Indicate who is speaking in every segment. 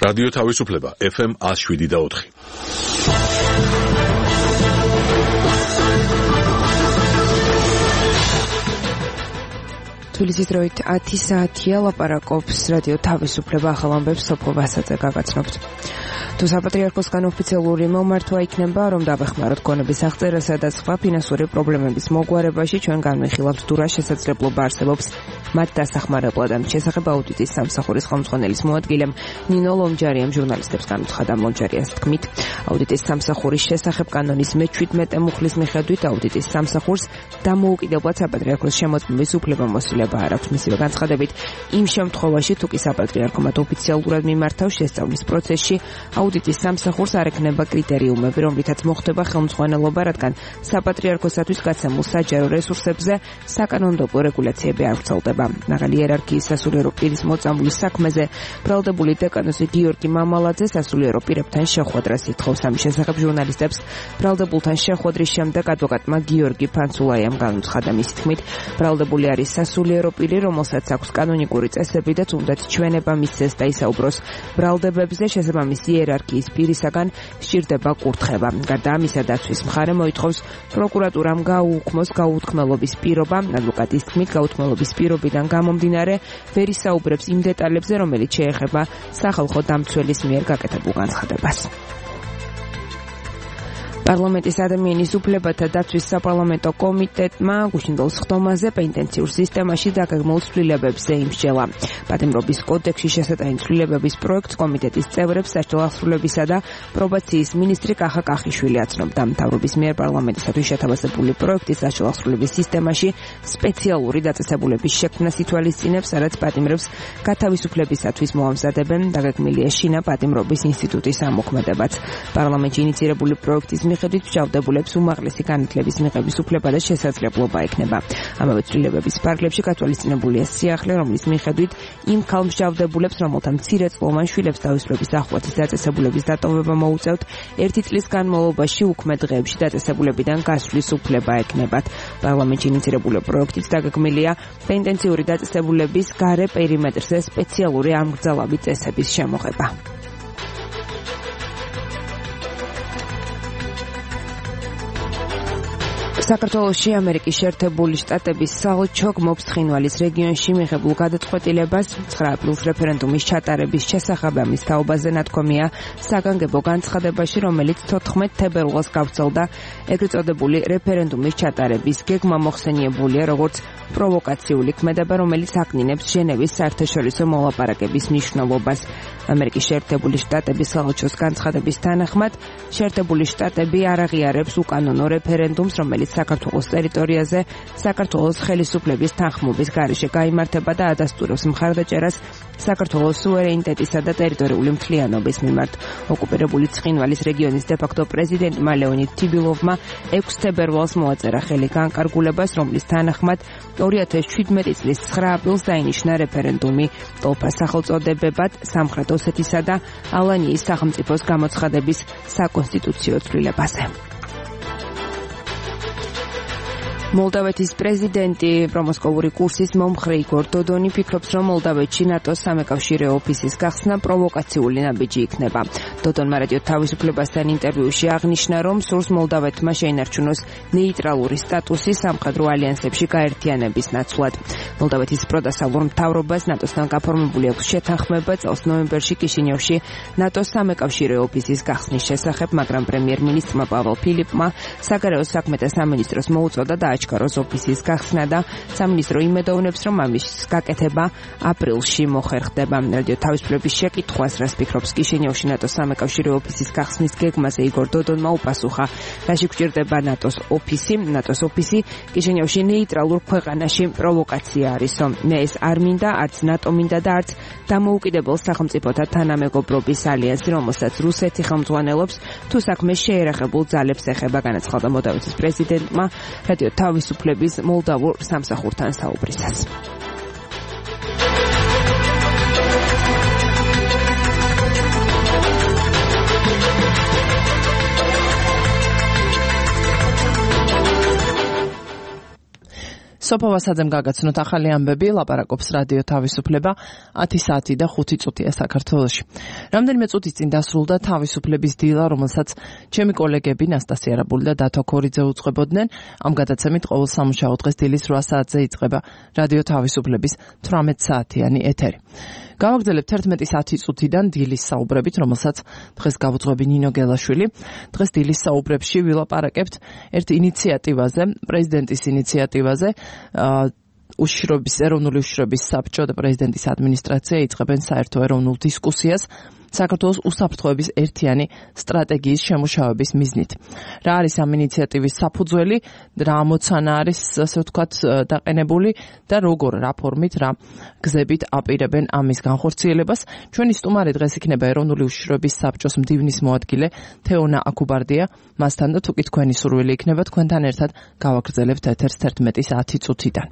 Speaker 1: რადიო თავისუფლება FM 107.4.
Speaker 2: თბილისის დროით 10 საათია, ლაპარაკობს რადიო თავისუფლება, ახალ ამბებს სოფო ვასაძე გაგაცნობთ. თუ საპატრიარქოსგან ოფიციალური მომართვა იქნება, რომ დავეხმაროთ გონების აღწერასა და სხვა ფინანსური პრობლემების მოგვარებაში, ჩვენ განვიხილავთ თუ რა შესაძლებლობა არსებობს მათ დასახმარებლად. ამ შესახებ აუდიტის სამსახურის ხელმძღვანელის მოადგილემ ნინო ლომჯარიამ ჟურნალისტებს განუცხადა. ლომჯარიას თქმით, აუდიტის სამსახურის შესახებ კანონის მე-17 მუხლის მიხედვით აუდიტის სამსახურს დამოუკიდებლად საპატრიარქოს შემოწმების უფლება-მოსილება არ აქვს. მისივე განცხადებით, იმ შემთხვევაში, თუ კი საპატრიარქომად ოფიციალურად მიმართავს შესწავლის პროცესში, აუდიტის სამსახურს არ ექნება კრიტერიუმები, რომლითაც მოხდება ხელმძღვანელობა, რადგან საპატრიარქოსათვის გაცემულ საჯარო რესურსებზე საკანონმდებლო რეგულაციები არ ვრცელდება. მაღალი იერარქიის სასულიერო პირის მოწამვლის საქმეზე ბრალდებული დეკანოზი გიორგი მამალაძე სასულიერო პირებთან შეხვედრას ითხოვს. ამის შესახებ ჟურნალისტებს ბრალდებულთან შეხვედრის შემდეგ ადვოკატმა გიორგი ფანცულაიამ განუცხადა. მისი თქმით, ბრალდებული არის სასულიერო პირი, რომელსაც აქვს კანონიკური წესები და თუნდაც ჩვენება მისცეს და ისაუბროს ბრალდებებზე, შესაბამისი იერარქიის პირისაგან სჭირდება კურთხება. გარდა ამისა, დაცვის მხარე მოითხოვს პროკურატურამ გაუუქმოს გაუთქმელობის პირობა. ადვოკატის თქმით, გაუთქმელობის პირობიდან გამომდინარე ვერ ისაუბრებს იმ დეტალებზე, რომელიც შეეხება სახალხო დამცველის მიერ გაკეთებულ განცხადებას. პარლამენტის ადამიანის უფლებათა დაცვის საპარლამენტო კომიტეტმა გუშინდელ სხდომაზე პენტენციურ სისტემაში დაგეგმულ ცვლილებებზე იმსჯელა. პატიმრობის კოდექსში შესატანი ცვლილებების პროექტს კომიტეტის წევრებს სასჯელო აღსრულებისა და პრობაციის მინისტრი კახა კახიშვილი აცნობდა. მთავრობის მიერ პარლამენტისათვის შეთავაზებული პროექტის სასჯელო აღსრულების სისტემაში სპეციალური დაწესებულების შექმნას ითვალისწინებს, სადაც პატიმრებს გათავისუფლებისათვის მოამზადებენ. დაგეგმილია შინა პატიმრობის ინსტიტუტის ამოქმედებაც. პარლამენტში ინიცირებული პროექტის მიხედვით მჟავდებულებს უმაღლესი განათლების მიღების უფლება და შესაძლებლობა ექნება. ამავე ცვლილებების ფარგლებში გათვალისწინებულია სიახლე, რომლის მიხედვით იმ ქალ მჟავდებულებს, რომელთა მცირეწლოვან შვილებს თავისუფლების დახვრეტის დაწესებულების დატოვება მოუწევთ, 1 წლის განმავლობაში უქმე დღეებში დაწესებულებიდან გასვლის უფლება ექნებათ. პარლამენტში ინიცირებული პროექტით დაგეგმილია პენტენციური დაწესებულების გარე პერიმეტრზე სპეციალური ამგრძელავი წესების შემოღება. საქართველოში ამერიკის შეერთებული შტატების საელჩო გმობს ცხინვალის რეგიონში მიღებულ გადაწყვეტილებას 9 აპრილს რეფერენდუმის ჩატარების შესახებ. ამის თაობაზე ნათქვამია საგანგებო განცხადებაში, რომელიც 14 თებერვალს გავრცელდა. ეგრეთ წოდებული რეფერენდუმის ჩატარების გეგმა მოხსენიებულია როგორც პროვოკაციული ქმედება, რომელიც აკნინებს ჟენევის საერთაშორისო მოლაპარაკების მნიშვნელობას. ამერიკის შეერთებული შტატების საელჩოს განცხადების თანახმად, შეერთებული შტატები არ აღიარებს უკანონო რეფერენდუმს, რომელიც საქართველოს ტერიტორიაზე საქართველოს ხელისუფლების თანხმობის გარეშე გაიმართება და ადასტურებს მხარდაჭერას საქართველოს სუვერენიტეტისა და ტერიტორიული მთლიანობის მიმართ. ოკუპირებული ცხინვალის რეგიონის დე-ფაქტო პრეზიდენტმა ლეონიდ თიბილოვმა 6 თებერვალს მოაწერა ხელი განკარგულებას, რომლის თანახმად 2017 წლის 9 აპრილს დაინიშნა რეფერენდუმი ტოლფას სახელწოდებებად სამხრეთ ოსეთისა და ალანიის სახელმწიფოს გამოცხადების საკონსტიტუციო ცვლილებაზე. მოლდავეთის პრეზიდენტი პრომოსკოვური კურსის მომხრე იგორ დოდონი ფიქრობს, რომ მოლდავეთში ნატოს სამეკავშირეო ოფისის გახსნა პროვოკაციული ნაბიჯი იქნება. დოდონმა რადიო თავისუფლებასთან ინტერვიუში აღნიშნა, რომ სურს მოლდავეთმა შეინარჩუნოს ნეიტრალური სტატუსი სამხედრო ალიანსებში გაერთიანების ნაცვლად. მოლდავეთის პროდასალურ მთავრობას ნატოსთან გაფორმებული აქვს შეთანხმება წელს ნოემბერში კიშინიოვში ნატოს სამეკავშირეო ოფისის გახსნის შესახებ, მაგრამ პრემიერ-მინისტრმა პაველ ფილიპმა საგარეო საქმეთა სამინისტროს მოუწოდა და აჩქაროს ოფისის გახსნა და სამინისტრო იმედოვნებს, რომ ამის გაკეთება აპრილში მოხერხდება. რადიო თავისუფლების შეკითხვას, რას ფიქრობს კიშინიოვში ნატოს სამეკავშირეო ოფისის გახსნის გეგმაზე, იგორ დოდონმა უპასუხა, რაში გვჭირდება ნატოს ოფისი კიშინიოვში ნეიტრალურ ქვეყანაში პროვოკაცია არისო. მე ეს არ მინდა, არც ნატო მინდა და არც დამოუკიდებელ სახელმწიფოთა თანამეგობრობის ალიანსი, რომელსაც რუსეთი ხელმძღვანელობს, თუ საქმე შეერახებულ ძალებს ეხება, განაცხადა მოლდავეთის პრეზიდენტმა რადიო თავისუფლების მოლდავურ სამსახურთან საუბრისას.
Speaker 3: სოფო ვასაძემ გაგაცნოთ ახალი ამბები, ლაპარაკობს რადიო თავისუფლება 10 საათი და 5 წუთია საქართველოში. რამდენიმე წუთის წინ დასრულდა თავისუფლების დილა, რომელსაც ჩემი კოლეგები ნასტასია არაბული და დათო ქორიძე უწყებოდნენ. ამ გადაცემით ყოველ სამუშაო დღეს დილის 8 საათზე იწყება რადიო თავისუფლების 18 საათიანი ეთერი. გავაგრძელებთ 11:10 წუთიდან დილის საუბრებით, რომელსაც დღეს გავუძღვები ნინო გელაშვილი. დღეს დილის საუბრებში ვილაპარაკებთ ერთ ინიციატივაზე, პრეზიდენტის ინიციატივაზე. ეროვნული უშიშროების საბჭო და პრეზიდენტის ადმინისტრაცია იწყებენ საერთო ეროვნულ დისკუსიას საქართველოს უსაფრთხოების ერთიანი სტრატეგიის შემუშავების მიზნით. რა არის ამ ინიციატივის საფუძველი, რა ამოცანა არის, ასე ვთქვათ, დაყენებული და როგორ, რა ფორმით, რა გზებით აპირებენ ამის განხორციელებას. ჩვენი სტუმარი დღეს იქნება ეროვნული უშიშროების საბჭოს მდივნის მოადგილე თეონა აკუბარდია. მასთან და თუკი თქვენი სურვილი იქნება, თქვენთან ერთად გავაგრძელებთ ეთერს 11:10 წუთიდან.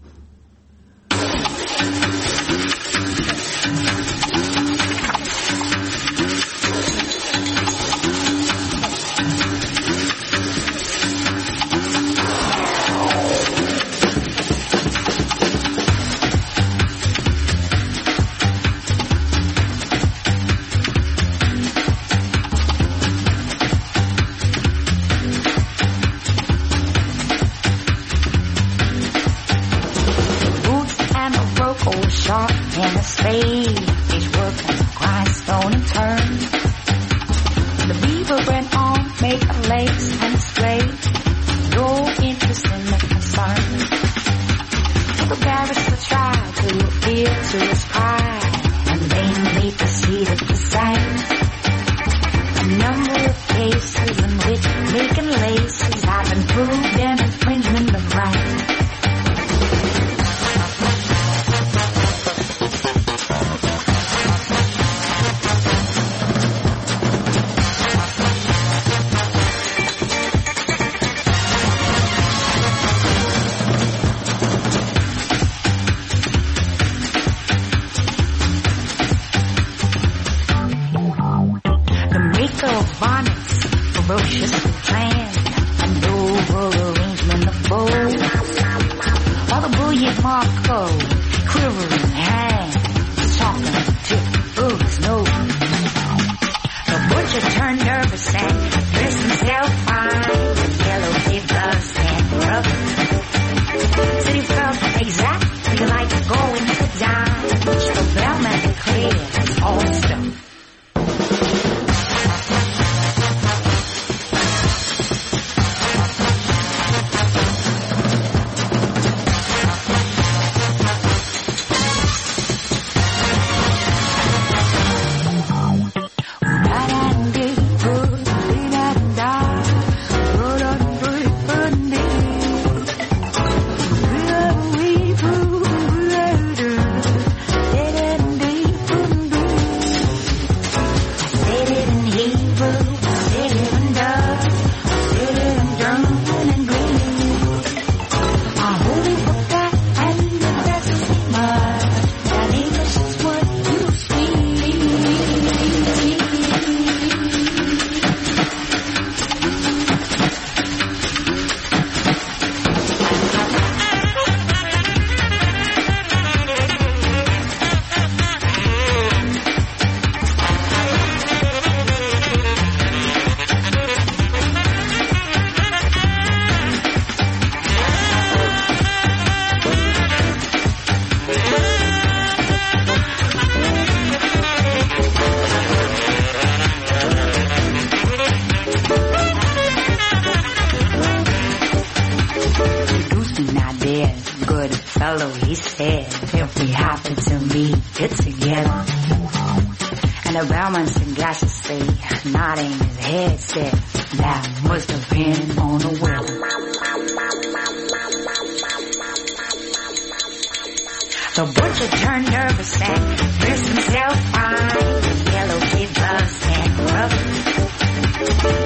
Speaker 4: The butcher turned nervous and dressed himself fine. Yellow kid gloves and gloves.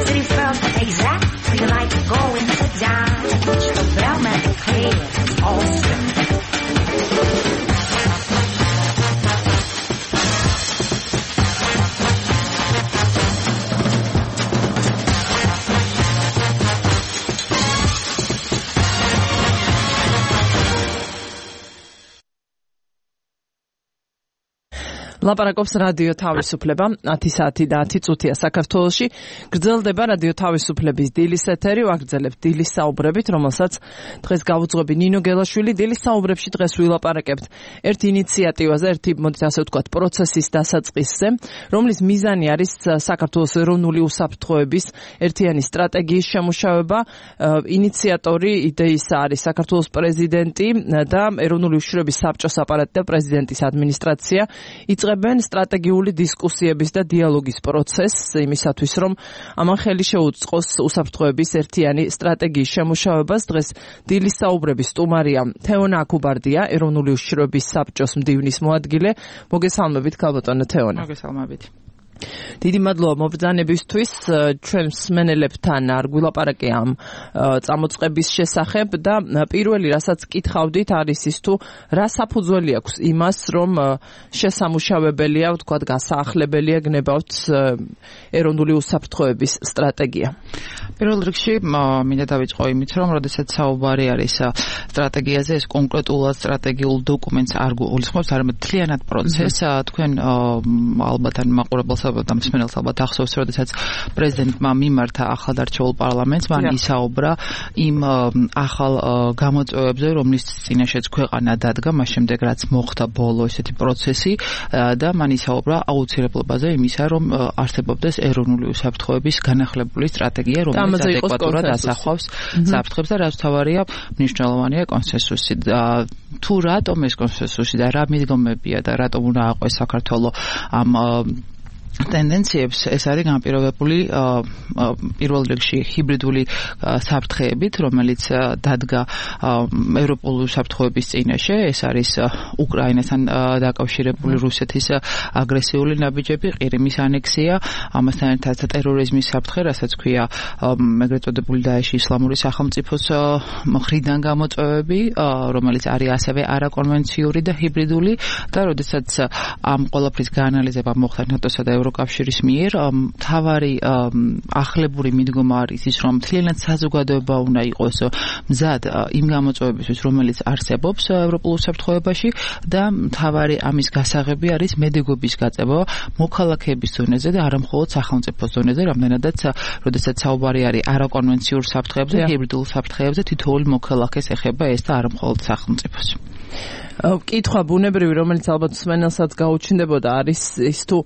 Speaker 4: Said he felt exactly like going to dine, which the bellman declared was awesome.
Speaker 3: ლაპარაკობს რადიო თავისუფლება 10 საათი და 10 წუთია საქართველოში. გრძელდება რადიო თავისუფლების დილის ეთერი, ვაგრძელებთ დილის საუბრებით, რომელსაც დღეს გავუძღვები ნინო გელაშვილი. დილის საუბრებში დღეს ვილაპარაკებთ ერთ ინიციატივაზე, ერთი მოდით ასე ვთქვათ, პროცესის დასაწყისზე, რომლის მიზანი არის საქართველოს ეროვნული უსაფრთხოების ერთიანი სტრატეგიის შემუშავება. ინიციატორი იდეისა არის საქართველოს პრეზიდენტი და ეროვნული უშიშროების საბჭოს აპარატი და პრეზიდენტის ადმინისტრაცია. იწყებენ სტრატეგიული დისკუსიების და დიალოგის პროცესს იმისათვის, რომ ამან ხელი შეუწყოს უსაფრთხოების ერთიანი სტრატეგიის შემუშავებას. დღეს დილის საუბრების სტუმარია თეონა აკუბარდია, ეროვნული უშიშროების საბჭოს მდივნის მოადგილე. მოგესალმებით, ქალბატონო თეონა.
Speaker 5: მოგესალმებით.
Speaker 3: დიდი მადლობა მობრძანებისთვის. ჩვენ მსმენელებთან არ გვილაპარაკე ამ წამოწყების შესახებ და პირველი რასაც კითხავდით არის ის თუ რა საფუძველი აქვს იმას, რომ შესამუშავებელია, ვთქვათ, გასაახლებელია გნებავთ ეროვნული უსაფრთხოების სტრატეგია.
Speaker 5: პირველ რიგში მინდა დავიწყო იმით, რომ როდესაც საუბარი არის სტრატეგიაზე, ეს კონკრეტულად სტრატეგიულ დოკუმენტს არ გულისხმობს, არამედ მთლიანად პროცესს. თქვენ ალბათ ან მაყურებელს და მსმენელს ალბათ ახსოვს, როდესაც პრეზიდენტმა მიმართა ახალდარჩეულ პარლამენტს, მან ისაუბრა იმ ახალ გამოწვევებზე, რომლის წინაშეც ქვეყანა დადგა, მას შემდეგ რაც მოხდა ბოლო ესეთი პროცესი და მან ისაუბრა აუცილებლობაზე იმისა, რომ არსებობდეს ეროვნული უსაფრთხოების განახლებული სტრატეგია, რომელიც ადეკვატურად ასახავს საფრთხებს და რაც თავარია მნიშვნელოვანია კონსენსუსი. თუ რატომ ეს კონსენსუსი და რა მიდგომებია და რატომ უნდა აყვეს საქართველოს ამ ტენდენციებს, ეს არის განპირობებული პირველ რიგში ჰიბრიდული საფრთხეებით, რომელიც დადგა ევროპული საფრთხეების წინაშე. ეს არის უკრაინასთან დაკავშირებული რუსეთის აგრესიული ნაბიჯები, ყირიმის ანექსია, ამასთან ერთად ტერორიზმის საფრთხე, რასაც ქვია ეგრეთ წოდებული დაეში ისლამური სახელმწიფოს მხრიდან გამოწვევები, რომელიც არის ასევე არაკონვენციური და ჰიბრიდული და როდესაც ამ ყველაფრის გაანალიზება მოხდა ნატოსა და ევროკავშირის მიერ, მთავარი ახლებური მიდგომა არის ის, რომ მთლიანად საზოგადოება უნდა იყოს მზად იმ გამოწვევებისთვის, რომელიც არსებობს ევროპულ უსაფრთხოებაში და მთავარი ამის გასაღები არის მედიგვების გაწევა მოქალაქეების ზონაზე და არა მხოლოდ სახელმწიფოს ზონაზე, რამდენადაც როდესაც საუბარი არის არაკონვენციურ საფრთხეებზე, ჰიბრიდულ საფრთხეებზე, თითოეული მოქალაქეს ეხება ეს და არა მხოლოდ სახელმწიფოს.
Speaker 3: კითხვა ბუნებრივი, რომელიც ალბათ მსმენელსაც გაუჩნდებოდა, არის ის თუ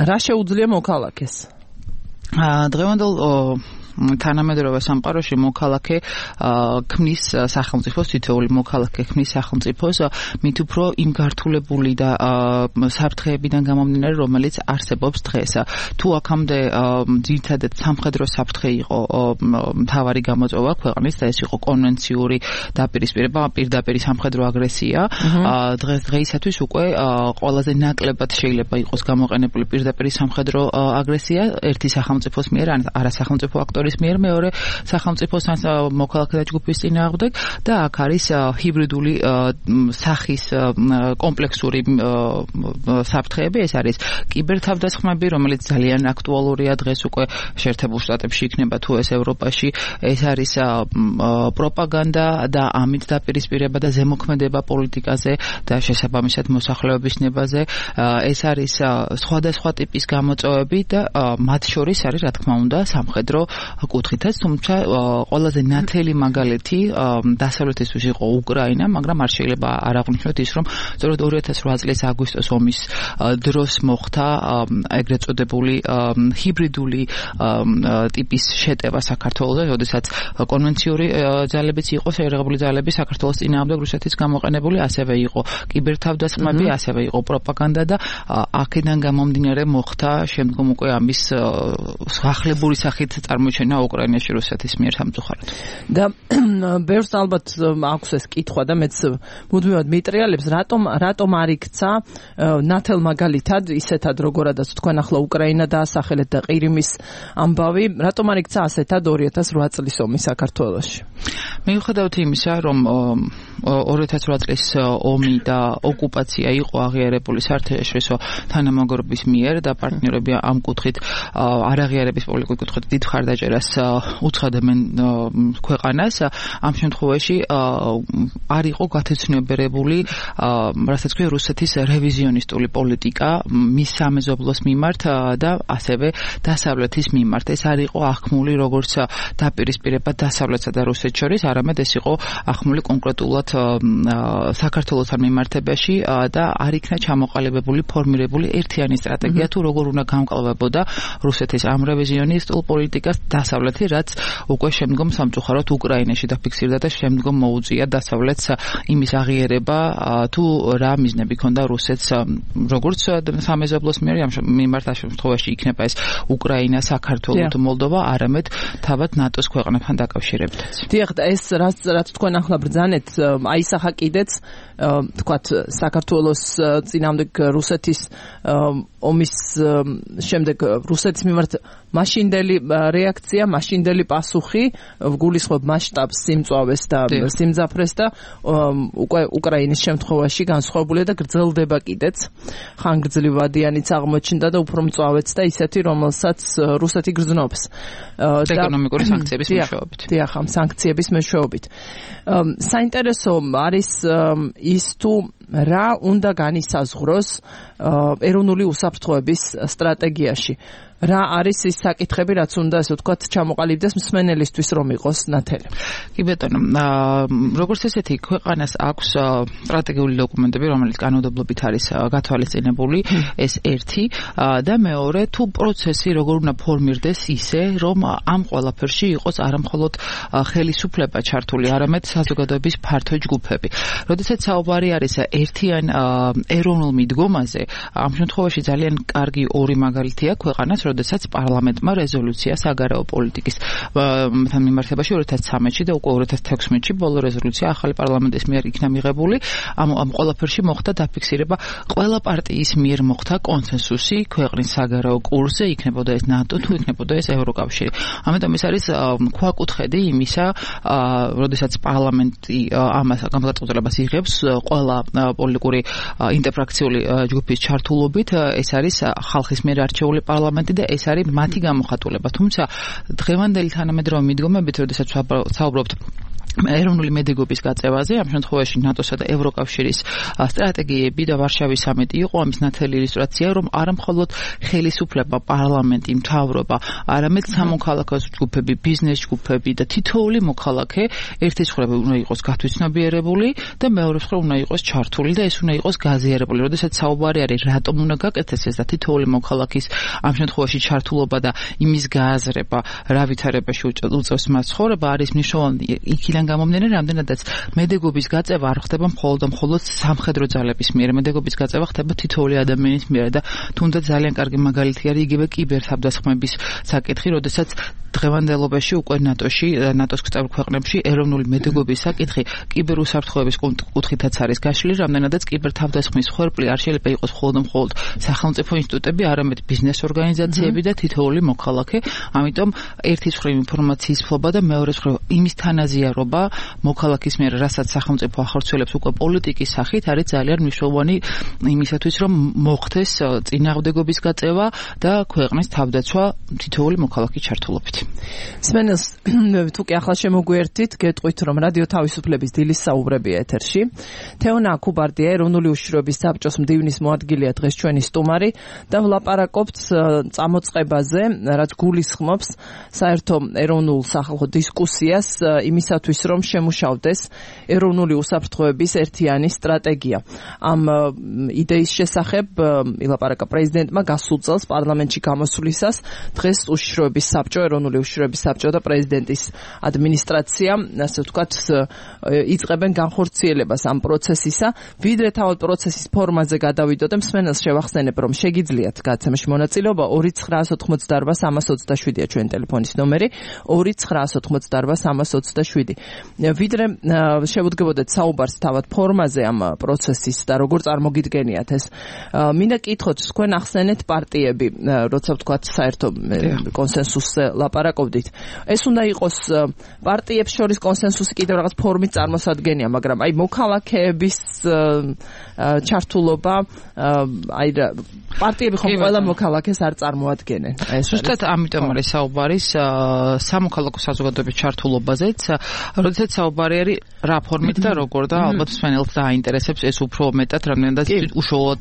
Speaker 3: რა შეუძლია მოქალაქეს?
Speaker 5: დღევანდელ თანამედროვე სამყაროში მოქალაქე ქმნის სახელმწიფოს, თითოეული მოქალაქე ქმნის სახელმწიფოს, მით უფრო იმ გართულებული და საფრთხეებიდან გამომდინარე, რომელიც არსებობს დღეს. თუ აქამდე ძირითადად სამხედრო საფრთხე იყო მთავარი გამოწვევა ქვეყნის და ეს იყო კონვენციური დაპირისპირება, პირდაპირ სამხედრო აგრესია, დღეისათვის უკვე ყველაზე ნაკლებად შეიძლება იყოს გამოყენებული პირდაპირ სამხედრო აგრესია ერთი სახელმწიფოს მიერ, ან არასახელმწიფო აქტორის მიერ მეორე სახელმწიფოს მოქალაქეთა ჯგუფის წინააღმდეგ და აქ არის ჰიბრიდული სახის კომპლექსური საფრთხეები, ეს არის კიბერთავდასხმები, რომელიც ძალიან აქტუალურია დღეს უკვე შეერთებულ შტატებში იქნება თუ ეს ევროპაში, ეს არის პროპაგანდა და ამით დაპირისპირება და ზემოქმედება პოლიტიკაზე და შესაბამისად მოსახლეობის ნებაზე, ეს არის სხვადასხვა ტიპის გამოწვევები და მათ შორის არის რა თქმა უნდა სამხედრო კუთხითაც, თუმცა ყველაზე ნათელი მაგალითი დასავლეთისთვის იყო უკრაინა, მაგრამ არ შეიძლება არ აღვნიშნოთ ის, რომ სწორედ 2008 წლის აგვისტოს ომის დროს მოხდა ეგრეთ წოდებული ჰიბრიდული ტიპის შეტევა საქართველოზე, როდესაც კონვენციური ძალებიც იყო, შეერაღებული ძალები საქართველოს წინააღმდეგ რუსეთის გამოყენებული, ასევე იყო კიბერთავდასხმები, ასევე იყო პროპაგანდა და აქედან გამომდინარე მოხდა შემდგომ უკვე ამის ახლებური სახით წარმოჩენა უკრაინაში რუსეთის მიერ სამწუხაროდ.
Speaker 3: და ბევრს ალბათ აქვს ეს კითხვა და მეც მუდმივად მიტრიალებს, რატომ არ იქცა ნათელ მაგალითად ისეთად როგორადაც თქვენ ახლა უკრაინა დაასახელეთ და ყირიმის ამბავი, რატომ არ იქცა ასეთად 2008 წლის ომი საქართველოში?
Speaker 5: მიუხედავად იმისა, რომ 2008 წლის ომი და ოკუპაცია იყო აღიარებული საერთაშორისო თანამაგრობის მიერ და პარტნიორები ამ კუთხით არაღიარების პოლიტიკური კუთხით დიდ მხარდაჭერას უცხადებენ ქვეყანას. ამ შემთხვევაში არ იყო გათეცნობიერებული რასაც ქვია რუსეთის რევიზიონისტული პოლიტიკა მის სამეზობლოს მიმართ და ასევე დასავლეთის მიმართ. ეს არ იყო ახმული როგორც დაპირისპირება დასავლეთსა და რუსეთს შორის, არამედ ეს იყო ახმული კონკრეტულად საქართველოსთან მიმართებაში და არ იქნა ჩამოყალიბებული ფორმირებული ერთიანი სტრატეგია თუ როგორ უნდა გამკლავებოდა რუსეთის ამ რევიზიონისტულ პოლიტიკას დასავლეთი, რაც უკვე შემდგომ სამწუხაროდ უკრაინაში დაფიქსირდა და შემდგომ მოუწია დასავლეთს იმის აღიარება თუ რა მიზნები ქონდა რუსეთს როგორც სამეზობლოს მიმართ ამ შემთხვევაში იქნება ეს უკრაინა, საქართველო თუ მოლდოვა, არამედ თავად ნატოს ქვეყნებთან დაკავშირებითაც.
Speaker 3: დიახ, ეს რაც თქვენ ახლა ბრძანეთ, აისახა კიდეც თქვათ საქართველოს წინამდებ რუსეთის ომის შემდეგ რუსეთის მიმართ მაშინდელი რეაქცია, მაშინდელი პასუხი გულისხმობ მასშტაბს, სიმწვავეს და სიმძაფრეს და უკვე უკრაინის შემთხვევაში განსხვავებულია და გრძელდება კიდეც. ხანგრძლივადიანიც აღმოჩნდა და უფრო მწვავეც და ისეთი, რომელსაც რუსეთი გრძნობს.
Speaker 5: ეკონომიკური სანქციების მეშვეობით.
Speaker 3: დიახ, ამ სანქციების მეშვეობით. საინტერესო არის ის თუ რა უნდა განისაზღვროს ეროვნული უსაფრთხოების სტრატეგიაში. რა არის ის საკითხები, რაც უნდა ასე ვთქვათ ჩამოყალიბდეს მსმენელისთვის რომ იყოს ნათელი.
Speaker 5: კი ბატონო, როგორც ესეთი ქვეყანას აქვს სტრატეგიული დოკუმენტები, რომელიც კანონმდებლობით არის გათვალისწინებული, ეს ერთი და მეორე თუ პროცესი როგორ უნდა ფორმირდეს ისე, რომ ამ ყველაფერში იყოს არამხოლოდ ხელისუფლება ჩართული, არამედ საზოგადოების ფართო ჯგუფები. როდესაც საუბარი არის ერთიან ეროვნულ მიდგომაზე, ამ შემთხვევაში ძალიან კარგი ორი მაგალითია ქვეყანას, როდესაც პარლამენტმა რეზოლუცია საგარეო პოლიტიკის მიმართებაში 2013-ში და უკვე 2016-ში ბოლო რეზოლუცია ახალი პარლამენტის მიერ იქნა მიღებული. ამ ყველაფერში მოხდა დაფიქსირება, ყველა პარტიის მიერ მოხდა კონსენსუსი ქვეყნის საგარეო კურსზე, იქნებოდა ეს ნატო თუ იქნებოდა ეს ევროკავშირი. ამიტომ ეს არის ქვაკუთხედი იმისა, როდესაც პარლამენტი ამას განმარტოებას იღებს ყველა პოლიტიკური ინტერფრაქციული ჯგუფის ჩართულობით, ეს არის ხალხის მიერ არჩეული პარლამენტი და ეს არის მათი გამოხატულება. თუმცა დღევანდელი თანამედროვე მიდგომებით, როდესაც საუბრობთ ეროვნული მედეგობის გაწევაზე, ამ შემთხვევაში ნატოსა და ევროკავშირის სტრატეგიები და ვარშავის სამიტი იყო ამის ნათელი ილუსტრაცია, რომ არა მხოლოდ ხელისუფლება, პარლამენტი, მთავრობა, არამედ სამოქალაქო ჯგუფები, ბიზნეს ჯგუფები და თითოეული მოქალაქე ერთის მხრივ უნდა იყოს გათვითცნობიერებული და მეორე მხრივ უნდა იყოს ჩართული და ეს უნდა იყოს გაზიარებული. როდესაც საუბარი არის რატომ უნდა გაკეთდეს ეს და თითოეული მოქალაქის ამ შემთხვევაში ჩართულობა და იმის გააზრება, რა ვითარებაში უწევს მას ცხოვრება, არის მნიშვნელოვანი იქიდან გამომდინარე, რამდენადაც მედეგობის გაწევა არ ხდება მხოლოდ სამხედრო ძალების მიერ, მედეგობის გაწევა ხდება თითოეული ადამიანის მიერ და თუნდაც ძალიან კარგი მაგალითი არის იგივე კიბერთავდასხმების საკითხი, როდესაც დღევანდელობაში უკვე ნატოს წევრ ქვეყნებში ეროვნული მედეგობის საკითხი კიბერუსაფრთხოების კუთხითაც არის გაშლილი, რამდენადაც კიბერთავდასხმის ხორპლი არ შეიძლება იყოს მხოლოდ სახელმწიფო ინსტიტუტები, არამედ ბიზნეს ორგანიზაციები და თითოეული მოქალაქე. ამიტომ ერთის მხრივ ინფორმაციის ფლობა და მეორეს მხრივ იმის თანაზიარობა მოქალაქის მიერ, რასაც სახელმწიფო ახორციელებს უკვე პოლიტიკის სახით, არის ძალიან მნიშვნელოვანი იმისათვის, რომ მოხდეს წინააღმდეგობის გაწევა და ქვეყნის თავდაცვა თითოეული მოქალაქის ჩართულობით.
Speaker 3: სმენელს თუ კი ახლა შემოგვიერთით, გეტყვით, რომ რადიო თავისუფლების დილის საუბრებია ეთერში. თეონა აკუბარდია, ეროვნული უშიშროების საბჭოს მდივნის მოადგილეა დღეს ჩვენი სტუმარი და ვლაპარაკობთ წამოწყებაზე, რაც გულისხმობს საერთო ეროვნულ სახალხო დისკუსიას იმისათვის, რომ შემუშავდეს ეროვნული უსაფრთხოების ერთიანი სტრატეგია. ამ იდეის შესახებ ილაპარაკა პრეზიდენტმა გასულ წელს პარლამენტში გამოსვლისას. დღეს უშიშროების საბჭო, ეროვნული უშიშროების საბჭო და პრეზიდენტის ადმინისტრაცია, ასე ვთქვათ, იწყებენ განხორციელებას ამ პროცესისა. ვიდრე თავად პროცესის ფორმაზე გადავიდოდე, მსმენელს შევახსენებ, რომ შეგიძლიათ გადაცემაში მონაწილეობა 2988327-ია ჩვენი ტელეფონის ნომერი, 2988327. ვიდრე შევუდგებოდეთ საუბარს თავად ფორმაზე ამ პროცესის და როგორ წარმოგიდგენიათ ეს. მინდა კითხოთ, თქვენ ახსენეთ პარტიები, როცა ვთქვათ საერთო კონსენსუსზე ლაპარაკობდით. ეს უნდა იყოს პარტიებს შორის კონსენსუსი კიდევ რაღაც ფორმით წარმოსადგენია, მაგრამ აი მოქალაქეების ჩართულობა, აი პარტიები ხომ ყველა მოქალაქეს არ წარმოადგენენ.
Speaker 5: ზუსტად ამიტომ არის საუბარი სამოქალაქო საზოგადოების ჩართულობაზეც, როდესაც საუბარი არის რა ფორმით და როგორ და ალბათ მსმენელს დააინტერესებს ეს უფრო მეტად, რამდენადაც უშუალოდ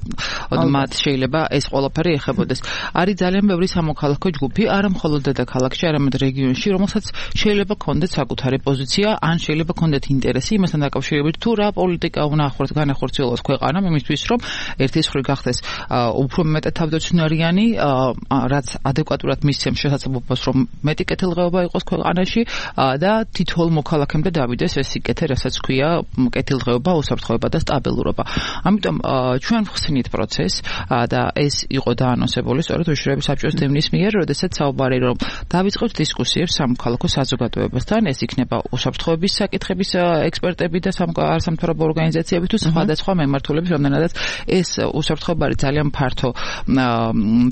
Speaker 5: მათ შეიძლება ეს ყველაფერი ეხებოდეს. არის ძალიან ბევრი სამოქალაქო ჯგუფი, არა მხოლოდ დედაქალაქში, არამედ რეგიონში, რომელსაც შეიძლება ქონდეთ საკუთარი პოზიცია, ან შეიძლება ქონდეთ ინტერესი იმასთან დაკავშირებით, თუ რა პოლიტიკა უნდა განახორციელოს ქვეყანამ იმისთვის, რომ ერთის მხრივ გახდეს უფრო მეტად თავდაცვნარიანი, რაც ადეკვატურად მისცემს შესაძლებლობას, რომ მეტი კეთილდღეობა იყოს ქვეყანაში და თითოეულ მოქალაქემდე დავიდეს ეს სიკეთე, რასაც ქვია კეთილდღეობა, უსაფრთხოება და სტაბილურობა. ამიტომ ჩვენ ვხსნით პროცესს და ეს იყო დაანონსებული სწორედ უშუალოდ საბჭოს დევნის მიერ, როდესაც საუბარი რომ დავიწყოთ დისკუსიებს სამოქალაქო საზოგადოებასთან, ეს იქნება უსაფრთხოების საკითხების ექსპერტები და სამთავრობო ორგანიზაციები თუ სხვადასხვა მემართულების, რომელთაც ეს უსაფრთხოება არის ძალიან ფართო